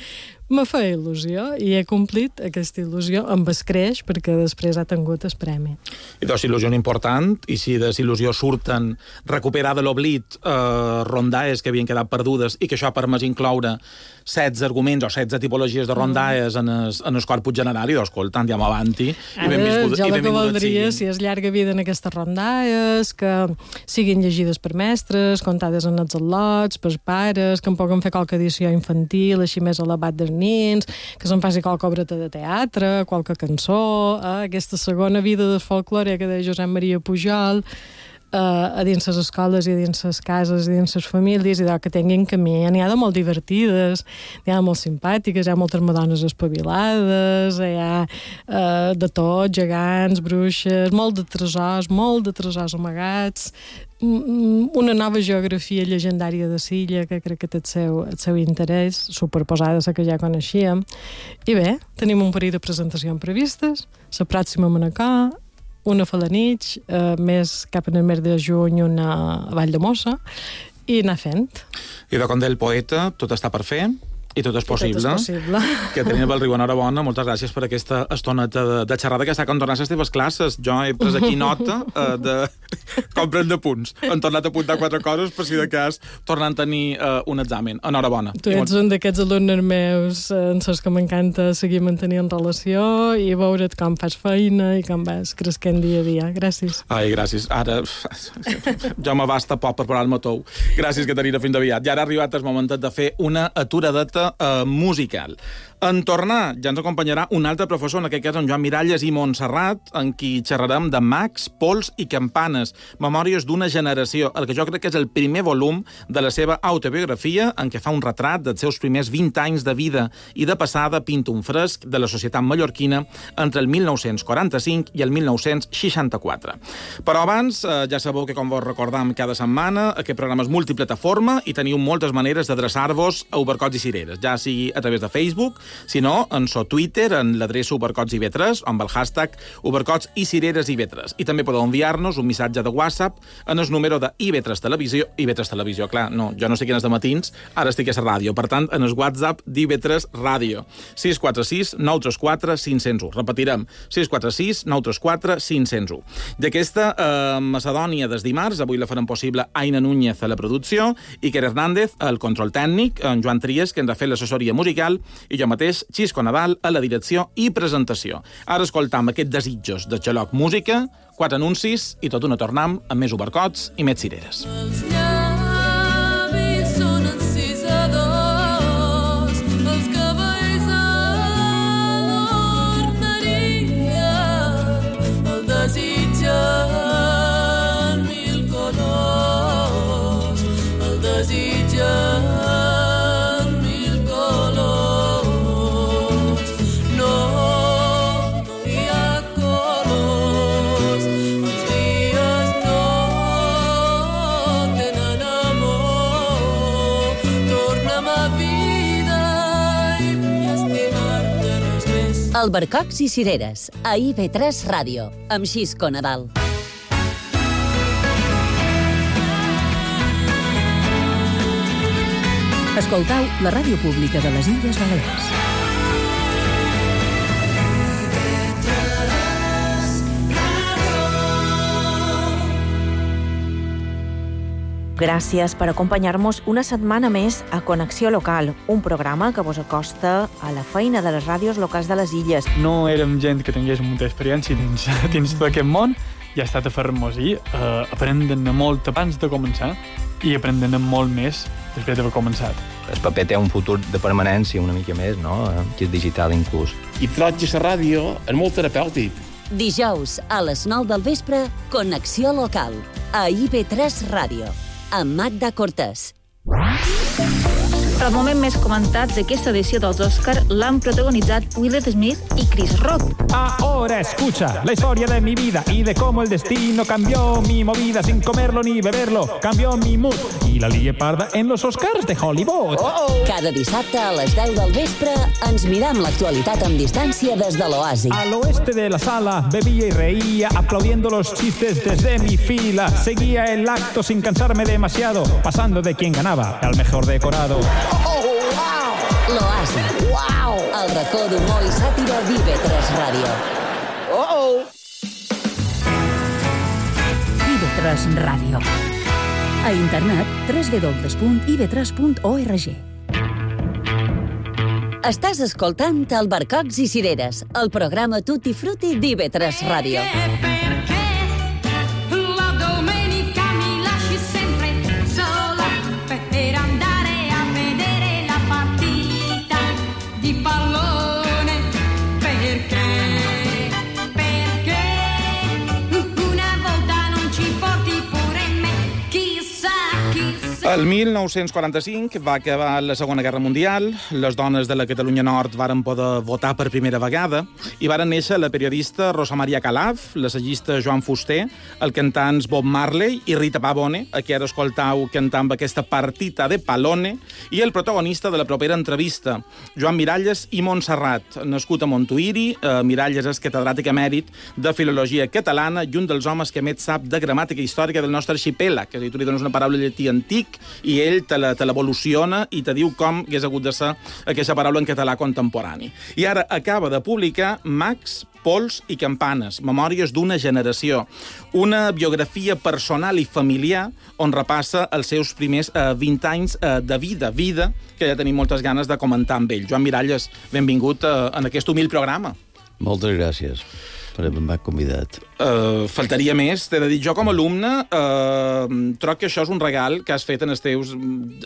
Speaker 6: Me feia il·lusió i he complit aquesta il·lusió amb escreix perquè després ha tingut el premi.
Speaker 4: I doncs il·lusió important, i si de il·lusió surten recuperar de l'oblit eh, rondalles que havien quedat perdudes i que això ha permès incloure setze arguments o setze tipologies de rondalles mm. en, es, en el corpus general, i doncs, escolta, andiamo avanti.
Speaker 6: Ara, i benvingut, jo el que voldria, si és llarga vida en aquestes rondalles, que siguin llegides per mestres, contades en els al·lots, per pares, que en puguin fer qualque edició infantil, així més elevat dels nins, que se'n faci qualque obreta de teatre, qualque cançó, eh? Aquesta segona vida del folklore que deia Josep Maria Pujol, a dins les escoles i a dins les cases i dins les famílies, i de que tinguin camí. N'hi ha de molt divertides, n'hi ha de molt simpàtiques, hi ha moltes madones espavilades, hi ha uh, de tot, gegants, bruixes, molt de tresors, molt de tresors amagats, una nova geografia llegendària de Silla, que crec que té el seu, el seu interès, superposada a la que ja coneixíem. I bé, tenim un parell de presentacions previstes, la pròxima a Manacor, una a Falanich, eh, més cap en el mes de juny una a Vall de Mossa, i anar fent.
Speaker 4: I de com del poeta, tot està per fer i tot és possible.
Speaker 6: Tot és possible.
Speaker 4: Caterina Bellriu, enhorabona, moltes gràcies per aquesta estoneta de, de xerrada que està quan tornar a les teves classes. Jo he pres aquí nota eh, de com prendre punts. Han tornat a apuntar quatre coses per si de cas tornant a tenir eh, un examen. Enhorabona.
Speaker 6: Tu ets un d'aquests alumnes meus en els que m'encanta seguir mantenint relació i veure't com fas feina i com vas cresquent dia a dia. Gràcies.
Speaker 4: Ai, gràcies. Ara jo m'abasta poc per parar-me tou. Gràcies, Caterina, fins aviat. I ara ha arribat el moment de fer una aturadeta Uh, musical. En tornar, ja ens acompanyarà un altre professor, en aquest cas en Joan Miralles i Montserrat, en qui xerrarem de mags, pols i campanes, memòries d'una generació, el que jo crec que és el primer volum de la seva autobiografia, en què fa un retrat dels seus primers vint anys de vida i de passada pinta un fresc de la societat mallorquina entre el mil nou-cents quaranta-cinc i el mil nou-cents seixanta-quatre. Però abans, eh, ja sabeu que com vos recordam cada setmana, aquest programa és multiplataforma i teniu moltes maneres d'adreçar-vos a Ubercots i Cireres, ja sigui a través de Facebook, si no, en so Twitter, en l'adreça Ubercots i V tres, o amb el hashtag Ubercots i Cireres i V tres. I també podeu enviar-nos un missatge de WhatsApp en el número de I V tres Televisió. I V tres Televisió, clar, no, jo no estic en els de matins, ara estic a la ràdio. Per tant, en el WhatsApp d'I V tres Ràdio. sis quatre sis nou tres quatre cinc zero un. Repetirem, sis quatre sis nou tres quatre cinc zero un. D'aquesta eh, Macedònia des dimarts, avui la farem possible Aina Núñez a la producció, Iker Hernández al control tècnic, en Joan Tries, que ens ha fet l'assessoria musical, i jo mateix, Xisco Nadal, a la direcció i presentació. Ara escoltam aquests desitjos de Xaloc Música, quatre anuncis i tot una tornam amb més Ubercots i més Cireres.
Speaker 5: Els llavis són encisadors, els cabells adornaria, el desitgen mil colors, el desitgen
Speaker 2: Albercocs i Cireres, a I V tres Ràdio, amb Xisco Nadal.
Speaker 1: Escoltau la ràdio pública de les Illes Balears.
Speaker 7: Gràcies per acompanyar-nos una setmana més a Connexió Local, un programa que vos acosta a la feina de les ràdios locals de les illes.
Speaker 8: No érem gent que tingués molta experiència dins, dins tot aquest món i ha estat a fer-nos-hi, eh, aprendent molt abans de començar i aprendent molt més després d'haver començat.
Speaker 9: El paper té un futur de permanència una mica més, no? Que és digital inclús.
Speaker 10: I troig a la ràdio és molt terapèutic.
Speaker 2: Dijous a les nou del vespre, Connexió Local, a I V tres Ràdio, amb Magda Cortés.
Speaker 11: Els moments més comentats d'aquesta edició dels Òscar l'han protagonitzat Will Smith i Chris Rock.
Speaker 12: Ahora escucha la historia de mi vida y de cómo el destino cambió mi movida sin comerlo ni beberlo, cambió mi mood y la lié parda en los Oscars de Hollywood.
Speaker 2: Oh! Cada dissabte a les deu del vespre ens miram l'actualitat amb distància des de l'Oasi.
Speaker 12: Al oeste de la sala bebía y reía aplaudiendo los chistes desde mi fila. Seguía el acto sin cansarme demasiado, pasando de quien ganaba al mejor decorado.
Speaker 2: Oh, wow! L'Oasi. Wow! El racó d'humor i sàtira d'I V tres Ràdio.
Speaker 1: Oh, oh! I V tres Ràdio. A internet, w w w punt i v tres punt org.
Speaker 2: Estàs escoltant Albercocs i Cireres, el programa Tutti Frutti d'I V tres Ràdio.
Speaker 5: Una volta non ci porti pure
Speaker 4: El mil nou-cents quaranta-cinc va acabar la Segona Guerra Mundial, les dones de la Catalunya Nord varen poder votar per primera vegada i varen néixer la periodista Rosa Maria Calaf, l'assagista Joan Fuster, el cantant Bob Marley i Rita Pavone, a qui ara escoltau cantant aquesta partita de Palone, i el protagonista de la propera entrevista, Joan Miralles i Montserrat, nascut a Montuïri. Eh, Miralles és catedràtic emèrit de Filologia Catalana i un dels homes que més sap de gramàtica històrica del nostre arxipèlag, que si tu li dones una paraula llatí antic i ell te l'evoluciona i te diu com hagués hagut de ser aquesta paraula en català contemporani. I ara acaba de publicar Mags, Pols i Campanes, memòries d'una generació, una biografia personal i familiar on repassa els seus primers eh, vint anys eh, de vida, vida que ja tenim moltes ganes de comentar amb ell. Joan Miralles, benvingut eh, en aquest humil programa.
Speaker 13: Moltes gràcies per haver-me convidat.
Speaker 4: Uh, faltaria més. T'he de dir, jo com a alumne uh, troc que això és un regal que has fet en els teus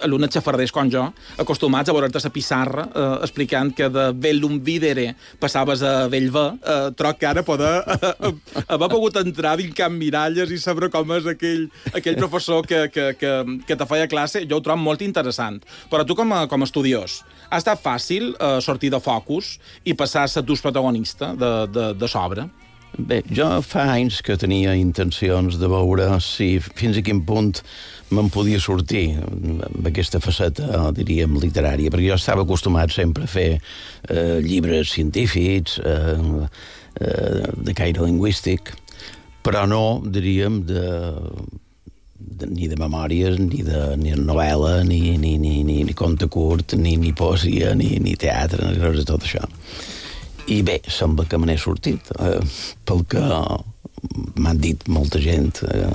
Speaker 4: alumnes xafarders com jo, acostumats a veure't a la pissarra uh, explicant que de Bellum Videre passaves a Bellver. Uh, troc que ara poder uh, haver pogut entrar dins Can Miralles i saber com és aquell, aquell professor que, que, que, que te feia classe, jo ho trobo molt interessant. Però tu com a, com a estudiós, ha estat fàcil uh, sortir de focus i passar a ser tu protagonista de, de, de sobre?
Speaker 13: Bé, jo fa anys que tenia intencions de veure si fins a quin punt me'n podia sortir amb aquesta faceta, diríem, literària, perquè jo estava acostumat sempre a fer eh, llibres científics, eh, eh, de caire lingüístic, però no, diríem, de, de, ni de memòries, ni de, ni de novel·la, ni, ni, ni, ni, ni conte curt, ni, ni poesia, ni, ni teatre, ni res de tot això. I bé, sembla que me n'he sortit, eh, pel que m'han dit molta gent. Eh.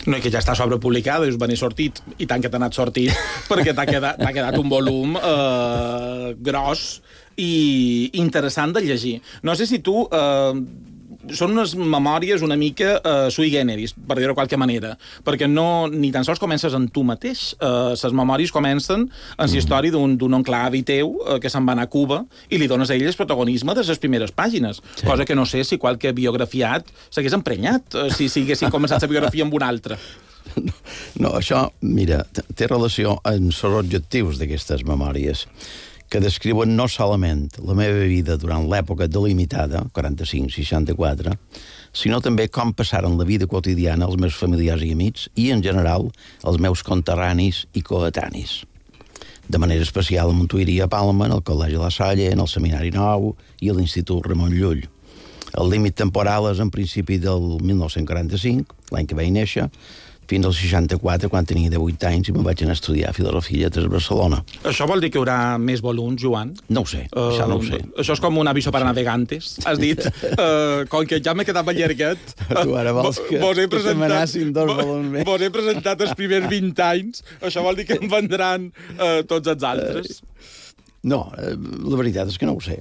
Speaker 4: No, i que ja està sobrepublicada, dius, me n'he sortit, i tant que t'ha anat sortit, perquè t'ha quedat, t'ha quedat un volum eh, gros i interessant de llegir. No sé si tu... Eh, són unes memòries una mica uh, sui generis, per dir-ho de qualque manera, perquè no, ni tan sols comences en tu mateix. Uh, les memòries comencen en la història d'un oncle avi teu uh, que se'n va anar a Cuba i li dones a ell el protagonisme de les primeres pàgines, sí. Cosa que no sé si qualque biografiat s'hagués emprenyat, uh, si, si haguessin començat la biografia amb una altra.
Speaker 13: No, no, això, mira, té relació amb els objectius d'aquestes memòries, que descriuen no solament la meva vida durant l'època delimitada, quaranta-cinc seixanta-quatre, sinó també com passaren la vida quotidiana els meus familiars i amics i, en general, els meus conterranis i coetanis. De manera especial a Montuïri i a Palma, en el Col·legi La Salle, en el Seminari Nou i a l'Institut Ramon Llull. El límit temporal és en principi del mil nou-cents quaranta-cinc, l'any que vaig néixer, fins al seixanta-quatre, quan tenia divuit anys, i me'n vaig anar a estudiar Filosofia i Lletres a Barcelona.
Speaker 4: Això vol dir que hi haurà més volums, Joan?
Speaker 13: No ho sé, uh, això no ho sé.
Speaker 4: Això és com un aviso para navegantes, has dit. Uh, com que ja m'he quedat allargat...
Speaker 13: Tu ara vols que,
Speaker 4: vos he
Speaker 13: que te m'anassin dos volums més.
Speaker 4: Vos he presentat els primers vint anys, això vol dir que em vendran uh, tots els altres.
Speaker 13: Uh, No, la veritat és que no ho sé.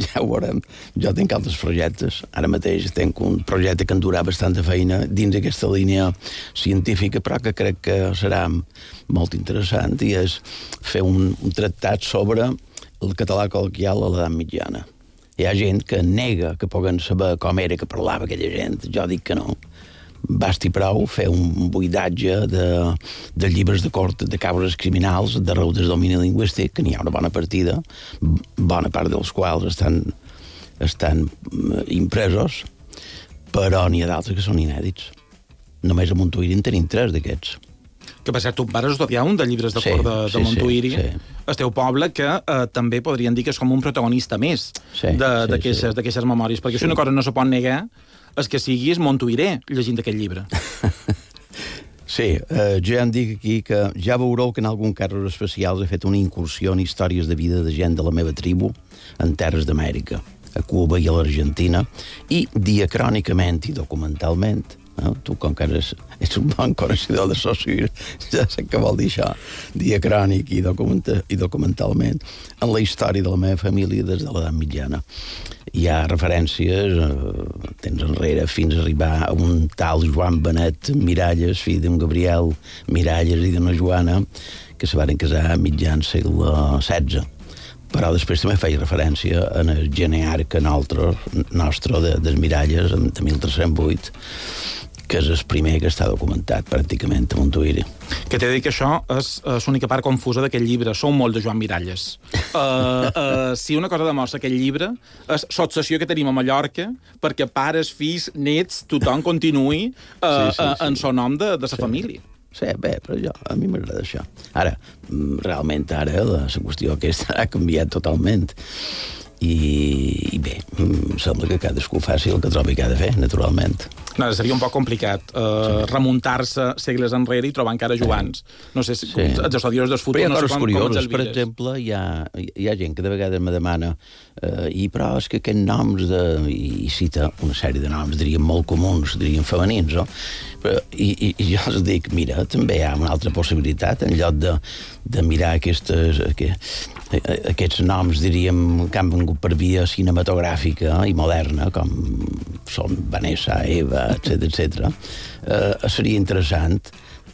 Speaker 13: Ja ho veurem. Jo tinc altres projectes. Ara mateix tinc un projecte que em durà bastanta feina dins aquesta línia científica, però que crec que serà molt interessant, i és fer un, un tractat sobre el català col·loquial a l'edat mitjana. Hi ha gent que nega que puguen saber com era que parlava aquella gent. Jo dic que no. Basti prou fer un buidatge de, de llibres de cort de causes criminals d'arreu del domini lingüístic, que n'hi ha una bona partida, bona part dels quals estan, estan impresos, però n'hi ha d'altres que són inèdits. Només a Montuïri en tenim tres d'aquests.
Speaker 4: Que per cert, tu vas estudiar un de llibres de sí, cor de, de sí, Montuïri, sí, sí. El teu poble, que eh, també podrien dir que és com un protagonista més
Speaker 13: sí,
Speaker 4: d'aquestes sí, sí. memòries, perquè sí. Si una cosa no se pot negar és que siguis montuïré llegint aquest llibre.
Speaker 13: Sí, eh, jo ja em dic aquí que ja veureu que en algun casos especials he fet una incursió en històries de vida de gent de la meva tribu en terres d'Amèrica, a Cuba i a l'Argentina, i diacrònicament i documentalment. No? Tu, com que eres, ets un bon coneixedor de Saussure, ja sé què vol dir això, diacrònic i, documenta, i documentalment, en la història de la meva família des de l'edat mitjana. Hi ha referències, eh, temps enrere, fins a arribar a un tal Joan Benet Miralles, fill d'un Gabriel Miralles i d'una Joana, que se van casar a mitjan segle setze. Però després també feia referència en el genearca nostre, nostre de, des Miralles, de mil tres-cents vuit, que és el primer que està documentat pràcticament a Montuïri.
Speaker 4: Que t'he de dir que això és, és l'única part confusa d'aquest llibre. Sou molt de Joan Miralles. Uh, uh, si una cosa demostra aquest llibre és l'obsessió que tenim a Mallorca perquè pares, fills, nets, tothom continuï uh, sí, sí, sí. Uh, en son nom de, de sa sí. família.
Speaker 13: Sí, bé, però jo, a mi m'agrada això. Ara, realment ara la, la qüestió aquesta ha canviat totalment. I, i bé, sembla que cadascú faci el que trobi que ha de fer, naturalment.
Speaker 4: No, seria un poc complicat uh, sí. remuntar-se segles enrere i trobar encara Joans. No sé si sí. els estudiosos del futur...
Speaker 13: Però hi ha
Speaker 4: no
Speaker 13: coses
Speaker 4: sé com,
Speaker 13: curioses.
Speaker 4: com
Speaker 13: per exemple, hi ha, hi ha gent que de vegades me demana uh, i però és que aquests noms de... i cita una sèrie de noms, diríem, molt comuns, diríem femenins, no? Però, i, i, i jo els dic, mira, també hi ha una altra possibilitat, en lloc de, de mirar aquestes... Que, aquests noms, diríem, que han vengut per via cinematogràfica i moderna, com són Vanessa, Eva, etcètera, etcètera, eh, seria interessant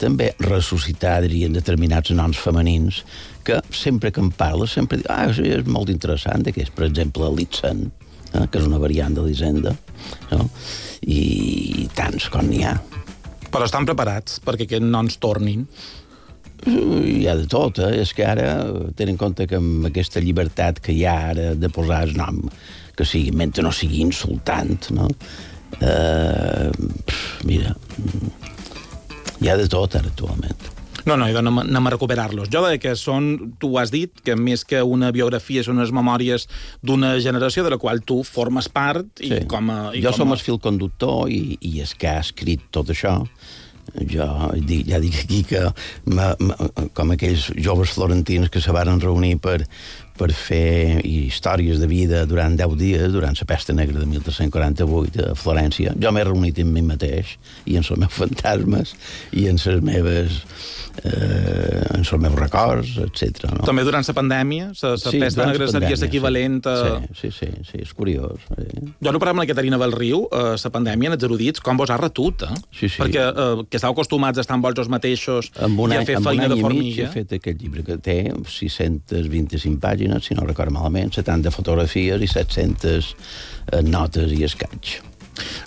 Speaker 13: també ressuscitar, diríem, determinats noms femenins que sempre que en parles sempre dic, ah, sí, és molt interessant, que és, per exemple, Litzen, eh, que és una variant de l'Hisenda, no? I tants com n'hi ha.
Speaker 4: Però estan preparats perquè aquests noms tornin?
Speaker 13: Hi ha de tot, eh? És que ara tenen en compte que amb aquesta llibertat que hi ha ara de posar el nom que sigui, mentre no sigui insultant, no? Eh, mira, hi ha de tot ara actualment.
Speaker 4: No, no, anem, anem a recuperar-los. Jo deia que són, tu ho has dit, que més que una biografia són unes memòries d'una generació de la qual tu formes part i
Speaker 13: sí.
Speaker 4: com a... I
Speaker 13: jo
Speaker 4: com
Speaker 13: som
Speaker 4: a...
Speaker 13: el fil conductor i, i és que ha escrit tot això. Jo ja dic aquí que ma, ma, com aquells joves florentins que se varen reunir per, per fer històries de vida durant deu dies, durant la pesta negra de mil tres-cents quaranta-vuit a Florència. Jo m'he reunit amb mi mateix i en els meus fantasmes i en les meves eh, en els meus records, etcètera. No?
Speaker 4: També durant la pandèmia? La
Speaker 13: sí,
Speaker 4: pesta negra seria l'equivalent a...
Speaker 13: Sí, sí, sí, sí, és curiós. Eh?
Speaker 4: Jo no parlem amb la Caterina Belriu, eh, la pandèmia, en els erudits, com vos ha retut, eh?
Speaker 13: Sí, sí.
Speaker 4: Perquè eh, que estàu acostumats a estar amb vols mateixos i a fer feina de formiga.
Speaker 13: He fet aquest llibre que té sis-centes vint-i-cinc pàgines, si no recordo malament, setanta fotografies i set-centes eh, notes i escaig.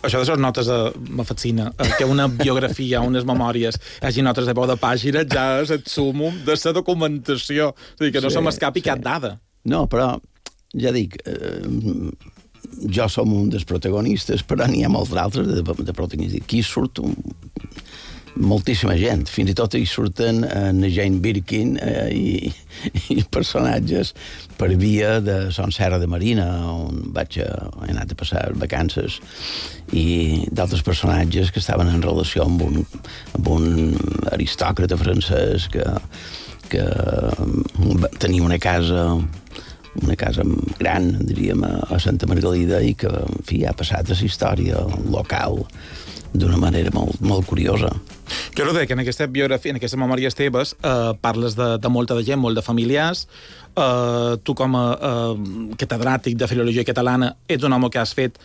Speaker 4: Això de les notes eh, me fascina, eh, que una biografia, unes memòries, hi hagi notes de peu de pàgina, ja és el súmum de la documentació. És a dir, que no sí, se m'escapi sí. cap dada.
Speaker 13: No, però, ja dic, eh, jo som un dels protagonistes, però n'hi ha molts d'altres de, de protagonistes. Aquí surt un, moltíssima gent. Fins i tot hi surten en Jane Birkin eh, i, i personatges per via de Son Serra de Marina, on vaig a, he anat a passar vacances, i d'altres personatges que estaven en relació amb un, amb un aristòcrata francès que, que tenia una casa una casa gran, diríem, a Santa Margalida i que, en fi, ha passat a la història local d'una manera molt, molt curiosa.
Speaker 4: Jo no deia que en aquesta biografia, en aquestes memòries teves, eh, parles de, de molta de gent, molt de familiars. Eh, tu, com a eh, catedràtic de filologia catalana, ets un home que has fet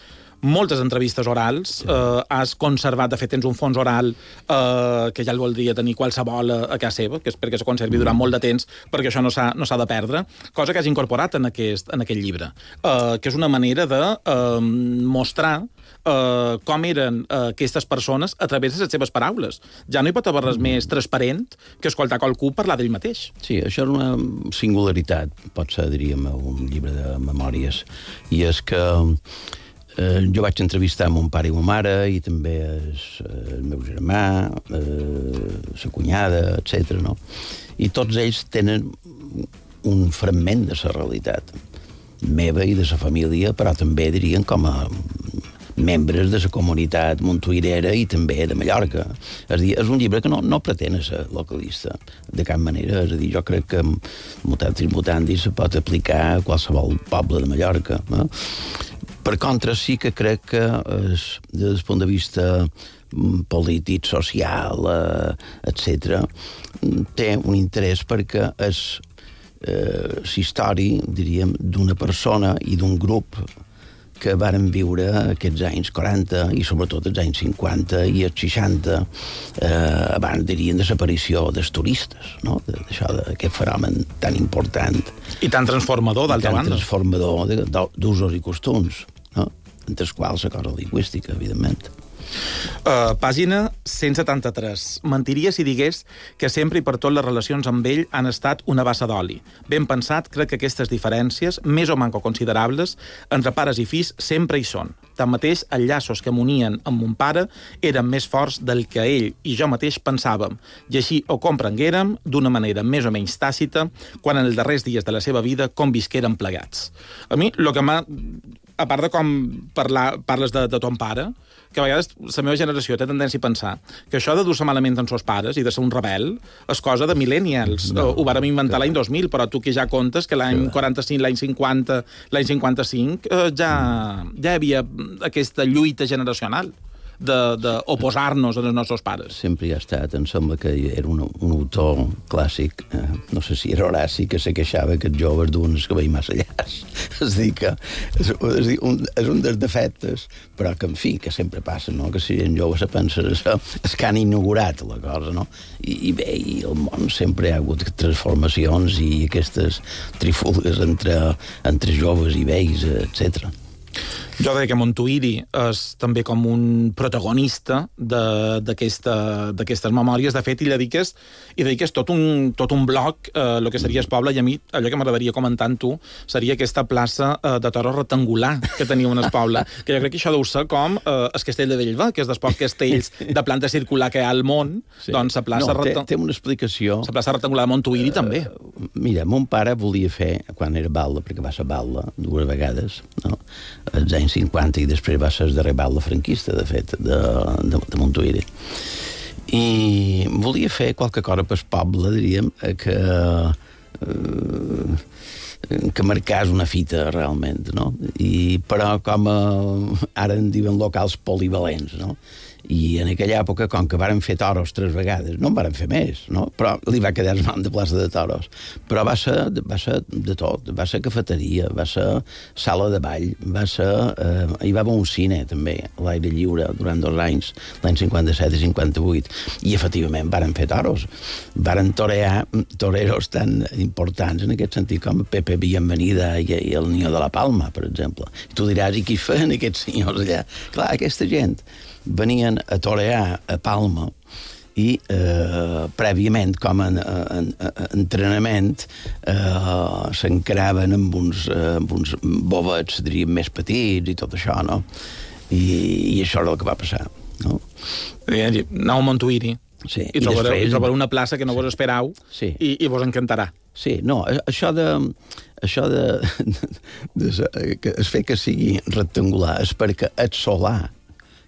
Speaker 4: moltes entrevistes orals, sí. eh, has conservat, de fet, tens un fons oral eh, que ja el voldria tenir qualsevol a, a casa seva, que és perquè se conservi durant molt de temps, perquè això no s'ha no s'ha de perdre, cosa que has incorporat en aquest, en aquest llibre, eh, que és una manera de eh, mostrar Uh, com eren uh, aquestes persones a través de les seves paraules. Ja no hi pot haver res més transparent que escoltar qualcú parlar d'ell mateix.
Speaker 13: Sí, això és una singularitat, pot ser, diríem, un llibre de memòries. I és que eh, jo vaig entrevistar mon pare i ma mare, i també el, el meu germà, eh, la cunyada, etcètera, no? I tots ells tenen un fragment de la realitat meva i de la família, però també, dirien, com a membres de la comunitat montuirera i també de Mallorca. És a dir, és un llibre que no, no pretén ser localista, de cap manera. És a dir, jo crec que mutatis mutandis se pot aplicar a qualsevol poble de Mallorca. No? Per contra, sí que crec que es, des del punt de vista polític, social, eh, etcètera, té un interès perquè és eh, l'història, diríem, d'una persona i d'un grup que varen viure aquests anys quaranta i sobretot els anys cinquanta i els seixanta, eh, abans, dirien, de l'aparició dels turistes, no? D'això, d'aquest fenomen tan important.
Speaker 4: I tan transformador, d'altra banda.
Speaker 13: Tan transformador d'usos i costums, no? Entre els quals la cosa lingüística, evidentment.
Speaker 4: Uh, pàgina cent setanta-tres. Mentiria si digués que sempre i per tot les relacions amb ell han estat una bassa d'oli. Ben pensat, crec que aquestes diferències, més o manco considerables, entre pares i fills sempre hi són. Tanmateix, els llaços que m'unien amb mon pare eren més forts del que ell i jo mateix pensàvem, i així ho comprenguérem d'una manera més o menys tàcita quan en els darrers dies de la seva vida convisquérem plegats. A mi, el que m'ha... A part de com parlar, parles de, de ton pare, que a vegades la meva generació té tendència a pensar que això de dur-se malament amb seus pares i de ser un rebel és cosa de millennials. No, ho vàrem inventar l'any dos mil, però tu que ja comptes que l'any quaranta-cinc, l'any cinquanta, l'any cinquanta-cinc eh, ja, ja hi havia aquesta lluita generacional d'oposar-nos als nostres pares.
Speaker 13: Sempre hi ha estat. Em sembla que era un, un autor clàssic, eh, no sé si era Horaci, que se queixava que els joves duen el cabell massa llarg. És dir, que és, és, dir, un, és un dels defectes, però que, en fi, que sempre passa, no? Que si en jove se pensa és, és que han inaugurat la cosa, no? I, i bé, i el món sempre hi ha hagut transformacions i aquestes trifulgues entre, entre joves i vells, etcètera.
Speaker 4: Jo crec que Montuïri és també com un protagonista d'aquestes memòries. De fet, hi dediques, hi dediques tot, un, tot un bloc, eh, el que seria el poble, i a mi allò que m'agradaria comentar amb tu seria aquesta plaça eh, de toros rectangular que teniu en el poble, que jo crec que això deu ser com eh, el castell de Bellver, que és dels pocs castells de planta circular que hi ha al món, sí. Doncs la plaça...
Speaker 13: No, té, té una explicació.
Speaker 4: La plaça rectangular de Montuïri uh, també.
Speaker 13: Mira, mon pare volia fer, quan era balda, perquè va ser balda dues vegades, no? als anys cinquanta, i després va ser el darrer balda franquista, de fet, de, de, de Montuïri. I volia fer qualque cosa pel poble, diríem, que, eh, que marcàs una fita, realment, no? I, però com a, ara en diuen locals polivalents, no? I en aquella època, com que varen fer toros tres vegades, no en varen fer més, no? Però li va quedar el nom de plaça de toros. Però va ser, va ser de tot, va ser cafeteria, va ser sala de ball, va ser... Eh, hi va haver un cine, també, a l'aire lliure, durant dos anys, l'any cinquanta-set i cinquanta-vuit, i efectivament varen fer toros. Varen torear toreros tan importants, en aquest sentit, com Pepe Bienvenida i, i el Niño de la Palma, per exemple. I tu diràs, i qui feien aquests senyors allà? Clar, aquesta gent venien a torear a Palma i eh, prèviament, com a, a, a, a entrenament, eh, s'encaraven amb uns, eh, amb uns bovets, diríem, més petits i tot això, no? I, i això era el que va passar, no?
Speaker 4: Anau a Montuïri.
Speaker 13: Sí.
Speaker 4: I, I trobareu, després... i trobareu una plaça que no vos esperau, sí. i, i vos encantarà.
Speaker 13: Sí, no, això de... Això de, de, de, de que es fer que sigui rectangular és perquè el solar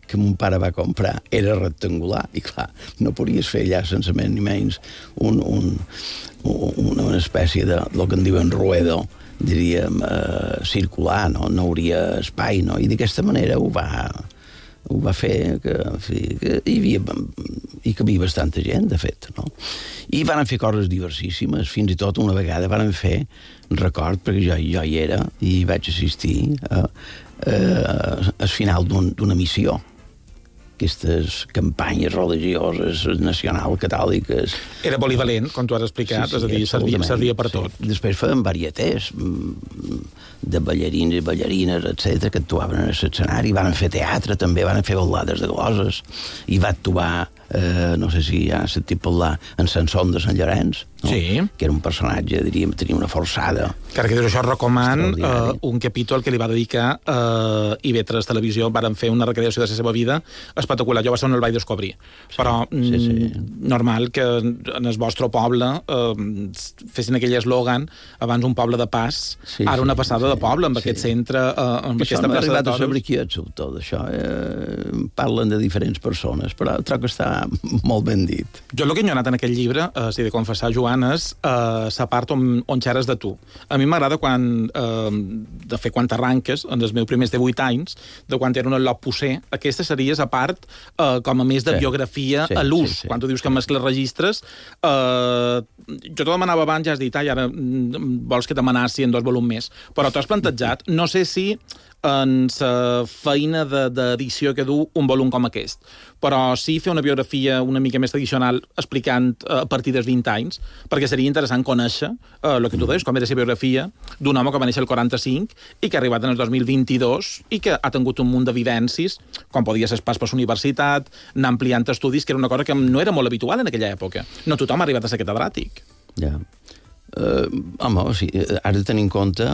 Speaker 13: que mon pare va comprar era rectangular, i clar, no podies fer allà sense més ni menys un, un, un, una espècie de, el que en diuen ruedo, diríem, eh, circular, no? No hauria espai, no? I d'aquesta manera ho va, ho va fer que, en fi, que hi havia, hi cabia bastanta gent, de fet, no? I van fer coses diversíssimes, fins i tot una vegada van fer, record, perquè jo, jo hi era i vaig assistir a, a, al final d'una un, missió, aquestes campanyes religioses nacional catòliques.
Speaker 4: Era polivalent, com tu has explicat, sí, sí, és a dir, servia, servia per tot.
Speaker 13: Sí. Després feien varietés de ballarins i ballarines, etcètera, que actuaven en l'escenari, van fer teatre també, van fer ballades de gloses, i va actuar, eh, no sé si ja has sentit parlar, en Sansón de Sant Llorenç, no?
Speaker 4: Sí.
Speaker 13: Que era un personatge, diríem, tenia una forçada.
Speaker 4: Encara que això recoman uh, un capítol que li va dedicar a uh, I V tres Televisió, varen fer una recreació de la seva vida espectacular. Jo va ser on el vaig descobrir. Sí, però sí, sí. normal que en el vostre poble uh, fessin aquell eslògan, abans un poble de pas, sí, ara una passada sí, de poble, amb sí. aquest centre, uh, amb
Speaker 13: això
Speaker 4: aquesta
Speaker 13: no
Speaker 4: plaça de toros.
Speaker 13: Això no m'ha arribat a saber qui ets, tot això. Eh, parlen de diferents persones, però trobo que està molt ben dit.
Speaker 4: Jo el que he anat en aquest llibre, uh, si he de confessar, Joan, és uh, la part on, on xeres de tu. A mi m'agrada quan, uh, de fer quan t'arranques, en els meus primers divuit anys, de quan era un al·lot posser, aquesta seria la part uh, com a més de sí. biografia sí, a l'ús. Sí, sí. Quan tu dius que mescles registres, uh, jo t'ho demanava abans, ja has dit, ai, ara vols que t'amenaci en dos volums més, però t'ho has plantejat, no sé si en la feina d'edició que du un volum com aquest, però sí fer una biografia biografia una mica més tradicional explicant uh, a partir dels vint anys, perquè seria interessant conèixer uh, el que tu deies, com era la biografia d'un home que va néixer el quaranta-cinc i que ha arribat en el dos mil vint-i-dos i que ha tingut un munt de vivències, quan podia ser pas per la universitat, anar ampliant estudis, que era una cosa que no era molt habitual en aquella època. No tothom ha arribat a ser catedràtic.
Speaker 13: Ja. Yeah. Uh, home, o sigui, has de tenir en compte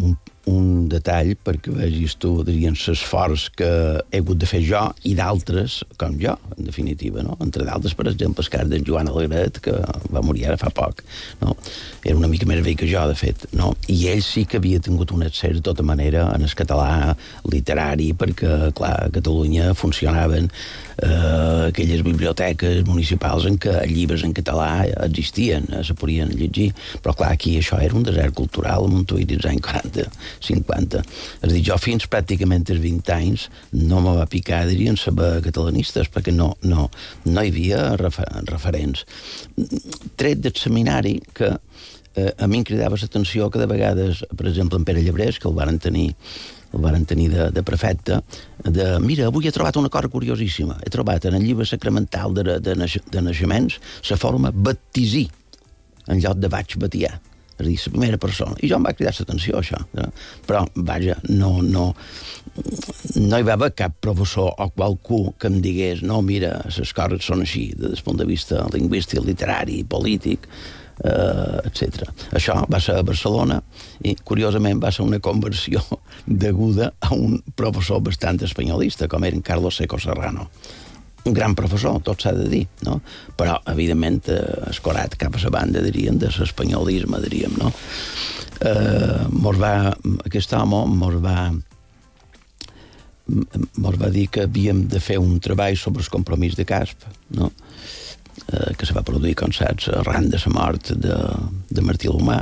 Speaker 13: un, un detall perquè vegis tu, dirien, l'esforç que he hagut de fer jo i d'altres com jo, en definitiva, no? Entre d'altres, per exemple, el cas d'en Joan Alegret, que va morir ara fa poc, no? Era una mica més vell que jo, de fet, no? I ell sí que havia tingut un accés, de tota manera, en el català literari, perquè, clar, a Catalunya funcionaven eh, aquelles biblioteques municipals en què llibres en català existien, eh, se podien llegir, però clar, aquí això era un desert cultural a Montuïr dels anys quaranta, cinquanta. És a dir, jo fins pràcticament als vint anys no me va picar, dirien, saber catalanistes, perquè no, no, no hi havia refer referents. Tret del seminari, que eh, a mi em cridava l'atenció que de vegades, per exemple, en Pere Llebrés, que el varen tenir el varen tenir de, de prefecte, de, mira, avui he trobat una cosa curiosíssima, he trobat en el llibre sacramental de, de, naix de naixements la forma baptisí, en lloc de vaig batiar, és a dir, la primera persona. I jo em va cridar l'atenció, això. Eh? Però, vaja, no, no, no hi va haver cap professor o qualcú que em digués no, mira, les coses són així, des del punt de vista lingüístic, literari, polític, Uh, etcètera. Això va ser a Barcelona i, curiosament, va ser una conversió deguda a un professor bastant espanyolista, com era en Carlos Seco Serrano. Un gran professor, tot s'ha de dir, no? Però, evidentment, uh, escorat cap a la banda, diríem, de l'espanyolisme, diríem, no? Uh, mos va, aquest home mos va mos va dir que havíem de fer un treball sobre el compromís de Casp, no? Eh, que se va produir, com saps, arran de la mort de, de Martí l'Humà,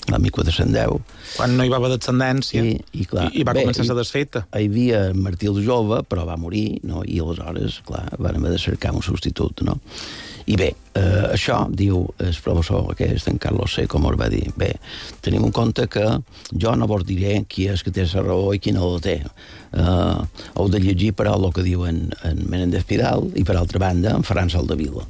Speaker 13: l'any mil quatre-cents deu.
Speaker 4: Quan no hi va haver descendència i,
Speaker 13: i, clar,
Speaker 4: i, i va
Speaker 13: bé,
Speaker 4: començar a ser desfeta.
Speaker 13: Hi havia Martí el jove, però va morir, no? I aleshores, clar, van haver de cercar un substitut, no? I bé, eh, això, diu el professor aquest, en Carlos C, com us va dir, bé, tenim en compte que jo no vos diré qui és que té la raó i qui no la té. Eh, heu de llegir, però, el que diu en, en Menéndez Pidal i, per altra banda, en Ferran Soldevila.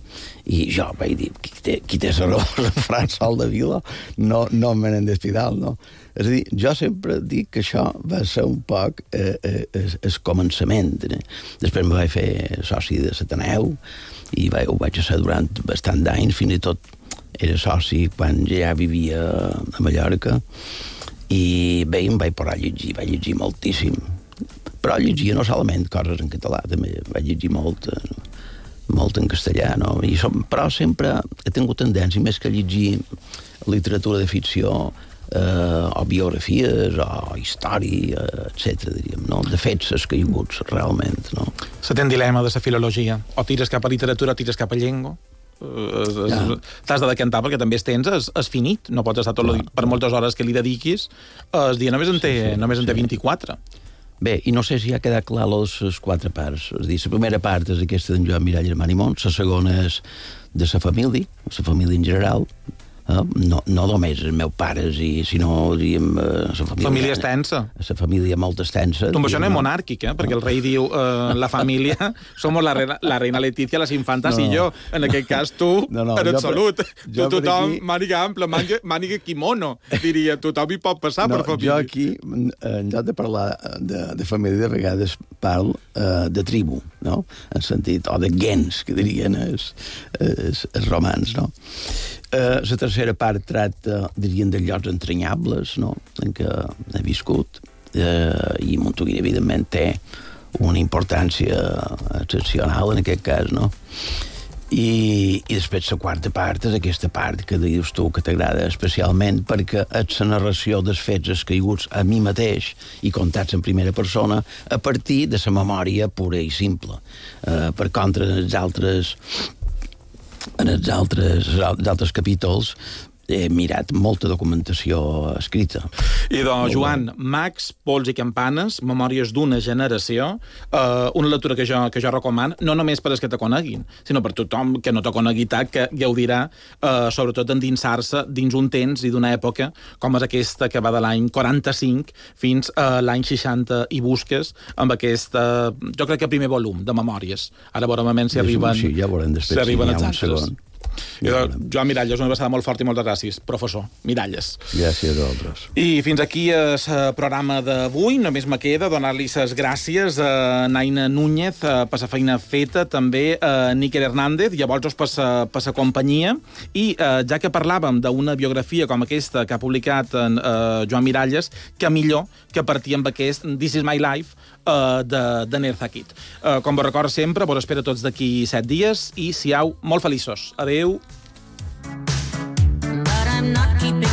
Speaker 13: I jo vaig dir, qui té, qui té la raó? En Ferran Soldevila? No, no en Menéndez Pidal, no? És a dir, jo sempre dic que això va ser un poc eh, eh, el, el començament. Eh? Després me vaig fer soci de l'Ateneu i vaig, ho vaig ser durant bastant d'anys, fins i tot era soci quan ja vivia a Mallorca, i bé, em vaig posar a llegir, vaig llegir moltíssim. Però llegia no solament coses en català, també vaig llegir molt, molt en castellà, no? I som, però sempre he tingut tendència, més que llegir literatura de ficció, eh, o biografies, o història, etcètera, diríem, no? De fets escaiguts, realment, no?
Speaker 4: Se té un dilema de la filologia. O tires cap a literatura o tires cap a llengua. Uh, ja. T'has de decantar perquè també es tens és, és finit, no pots estar tot el, per moltes hores que li dediquis, el dia només en té, sí, sí, només en té sí. vint-i-quatre.
Speaker 13: Bé, i no sé si ha quedat clar les quatre parts. És a dir, la primera part és aquesta d'en Joan Miralles Manimont, la segona és de la família, la família en general, eh? no, no només els meus pares, i, sinó, diríem, la família...
Speaker 4: Família extensa.
Speaker 13: La família molt extensa.
Speaker 4: Tu amb això no és monàrquic, eh? Perquè el rei diu, eh, la família, somos la reina, la reina Letícia, les infantes no, no. i jo. En aquest cas, tu, no, no, en absolut. Jo, tu, tothom, aquí... màniga ampla, màniga, màniga kimono, diria. Tothom hi pot passar
Speaker 13: no,
Speaker 4: per família.
Speaker 13: Jo aquí, en lloc de parlar de, de família, de vegades parlo uh, de tribu, no? En sentit, o de gens, que dirien els, els, els romans, no? Uh, la tercera part tracta, dirien, de llocs entranyables, no?, en què he viscut, uh, i Montuïr, evidentment, té una importància excepcional en aquest cas, no? I, i després la quarta part és aquesta part que dius tu que t'agrada especialment perquè és la narració dels fets escaiguts a mi mateix i contats en primera persona a partir de la memòria pura i simple. Uh, per contra, en els altres en els altres, els altres capítols he mirat molta documentació escrita.
Speaker 4: I doncs, Joan, Mags, Pols i Campanes, Memòries d'una generació, eh, una lectura que jo, que jo recomano, no només per als que te coneguin, sinó per tothom que no te conegui tant, que gaudirà, eh, sobretot endinsar-se dins un temps i d'una època com és aquesta que va de l'any quaranta-cinc fins a l'any seixanta i busques amb aquesta, jo crec que primer volum de Memòries. Ara veurem si arriben,
Speaker 13: sí, ja veurem després,
Speaker 4: si arriben
Speaker 13: si
Speaker 4: els
Speaker 13: un
Speaker 4: altres.
Speaker 13: segon.
Speaker 4: Ja Joan Miralles, una passada molt forta i moltes gràcies, professor Miralles.
Speaker 13: Gràcies a vosaltres.
Speaker 4: I fins aquí el programa d'avui. Només me queda donar-li les gràcies a Naina Núñez per la feina feta, també a Níker Hernández, i a vosaltres per la companyia. I eh, ja que parlàvem d'una biografia com aquesta que ha publicat en, eh, Joan Miralles, que millor que partir amb aquest This is my life eh, de, de Nerza Kid. Eh, com vos recordo sempre, vos espero tots d'aquí set dies i siau molt feliços. Adeu.
Speaker 5: But I'm not keeping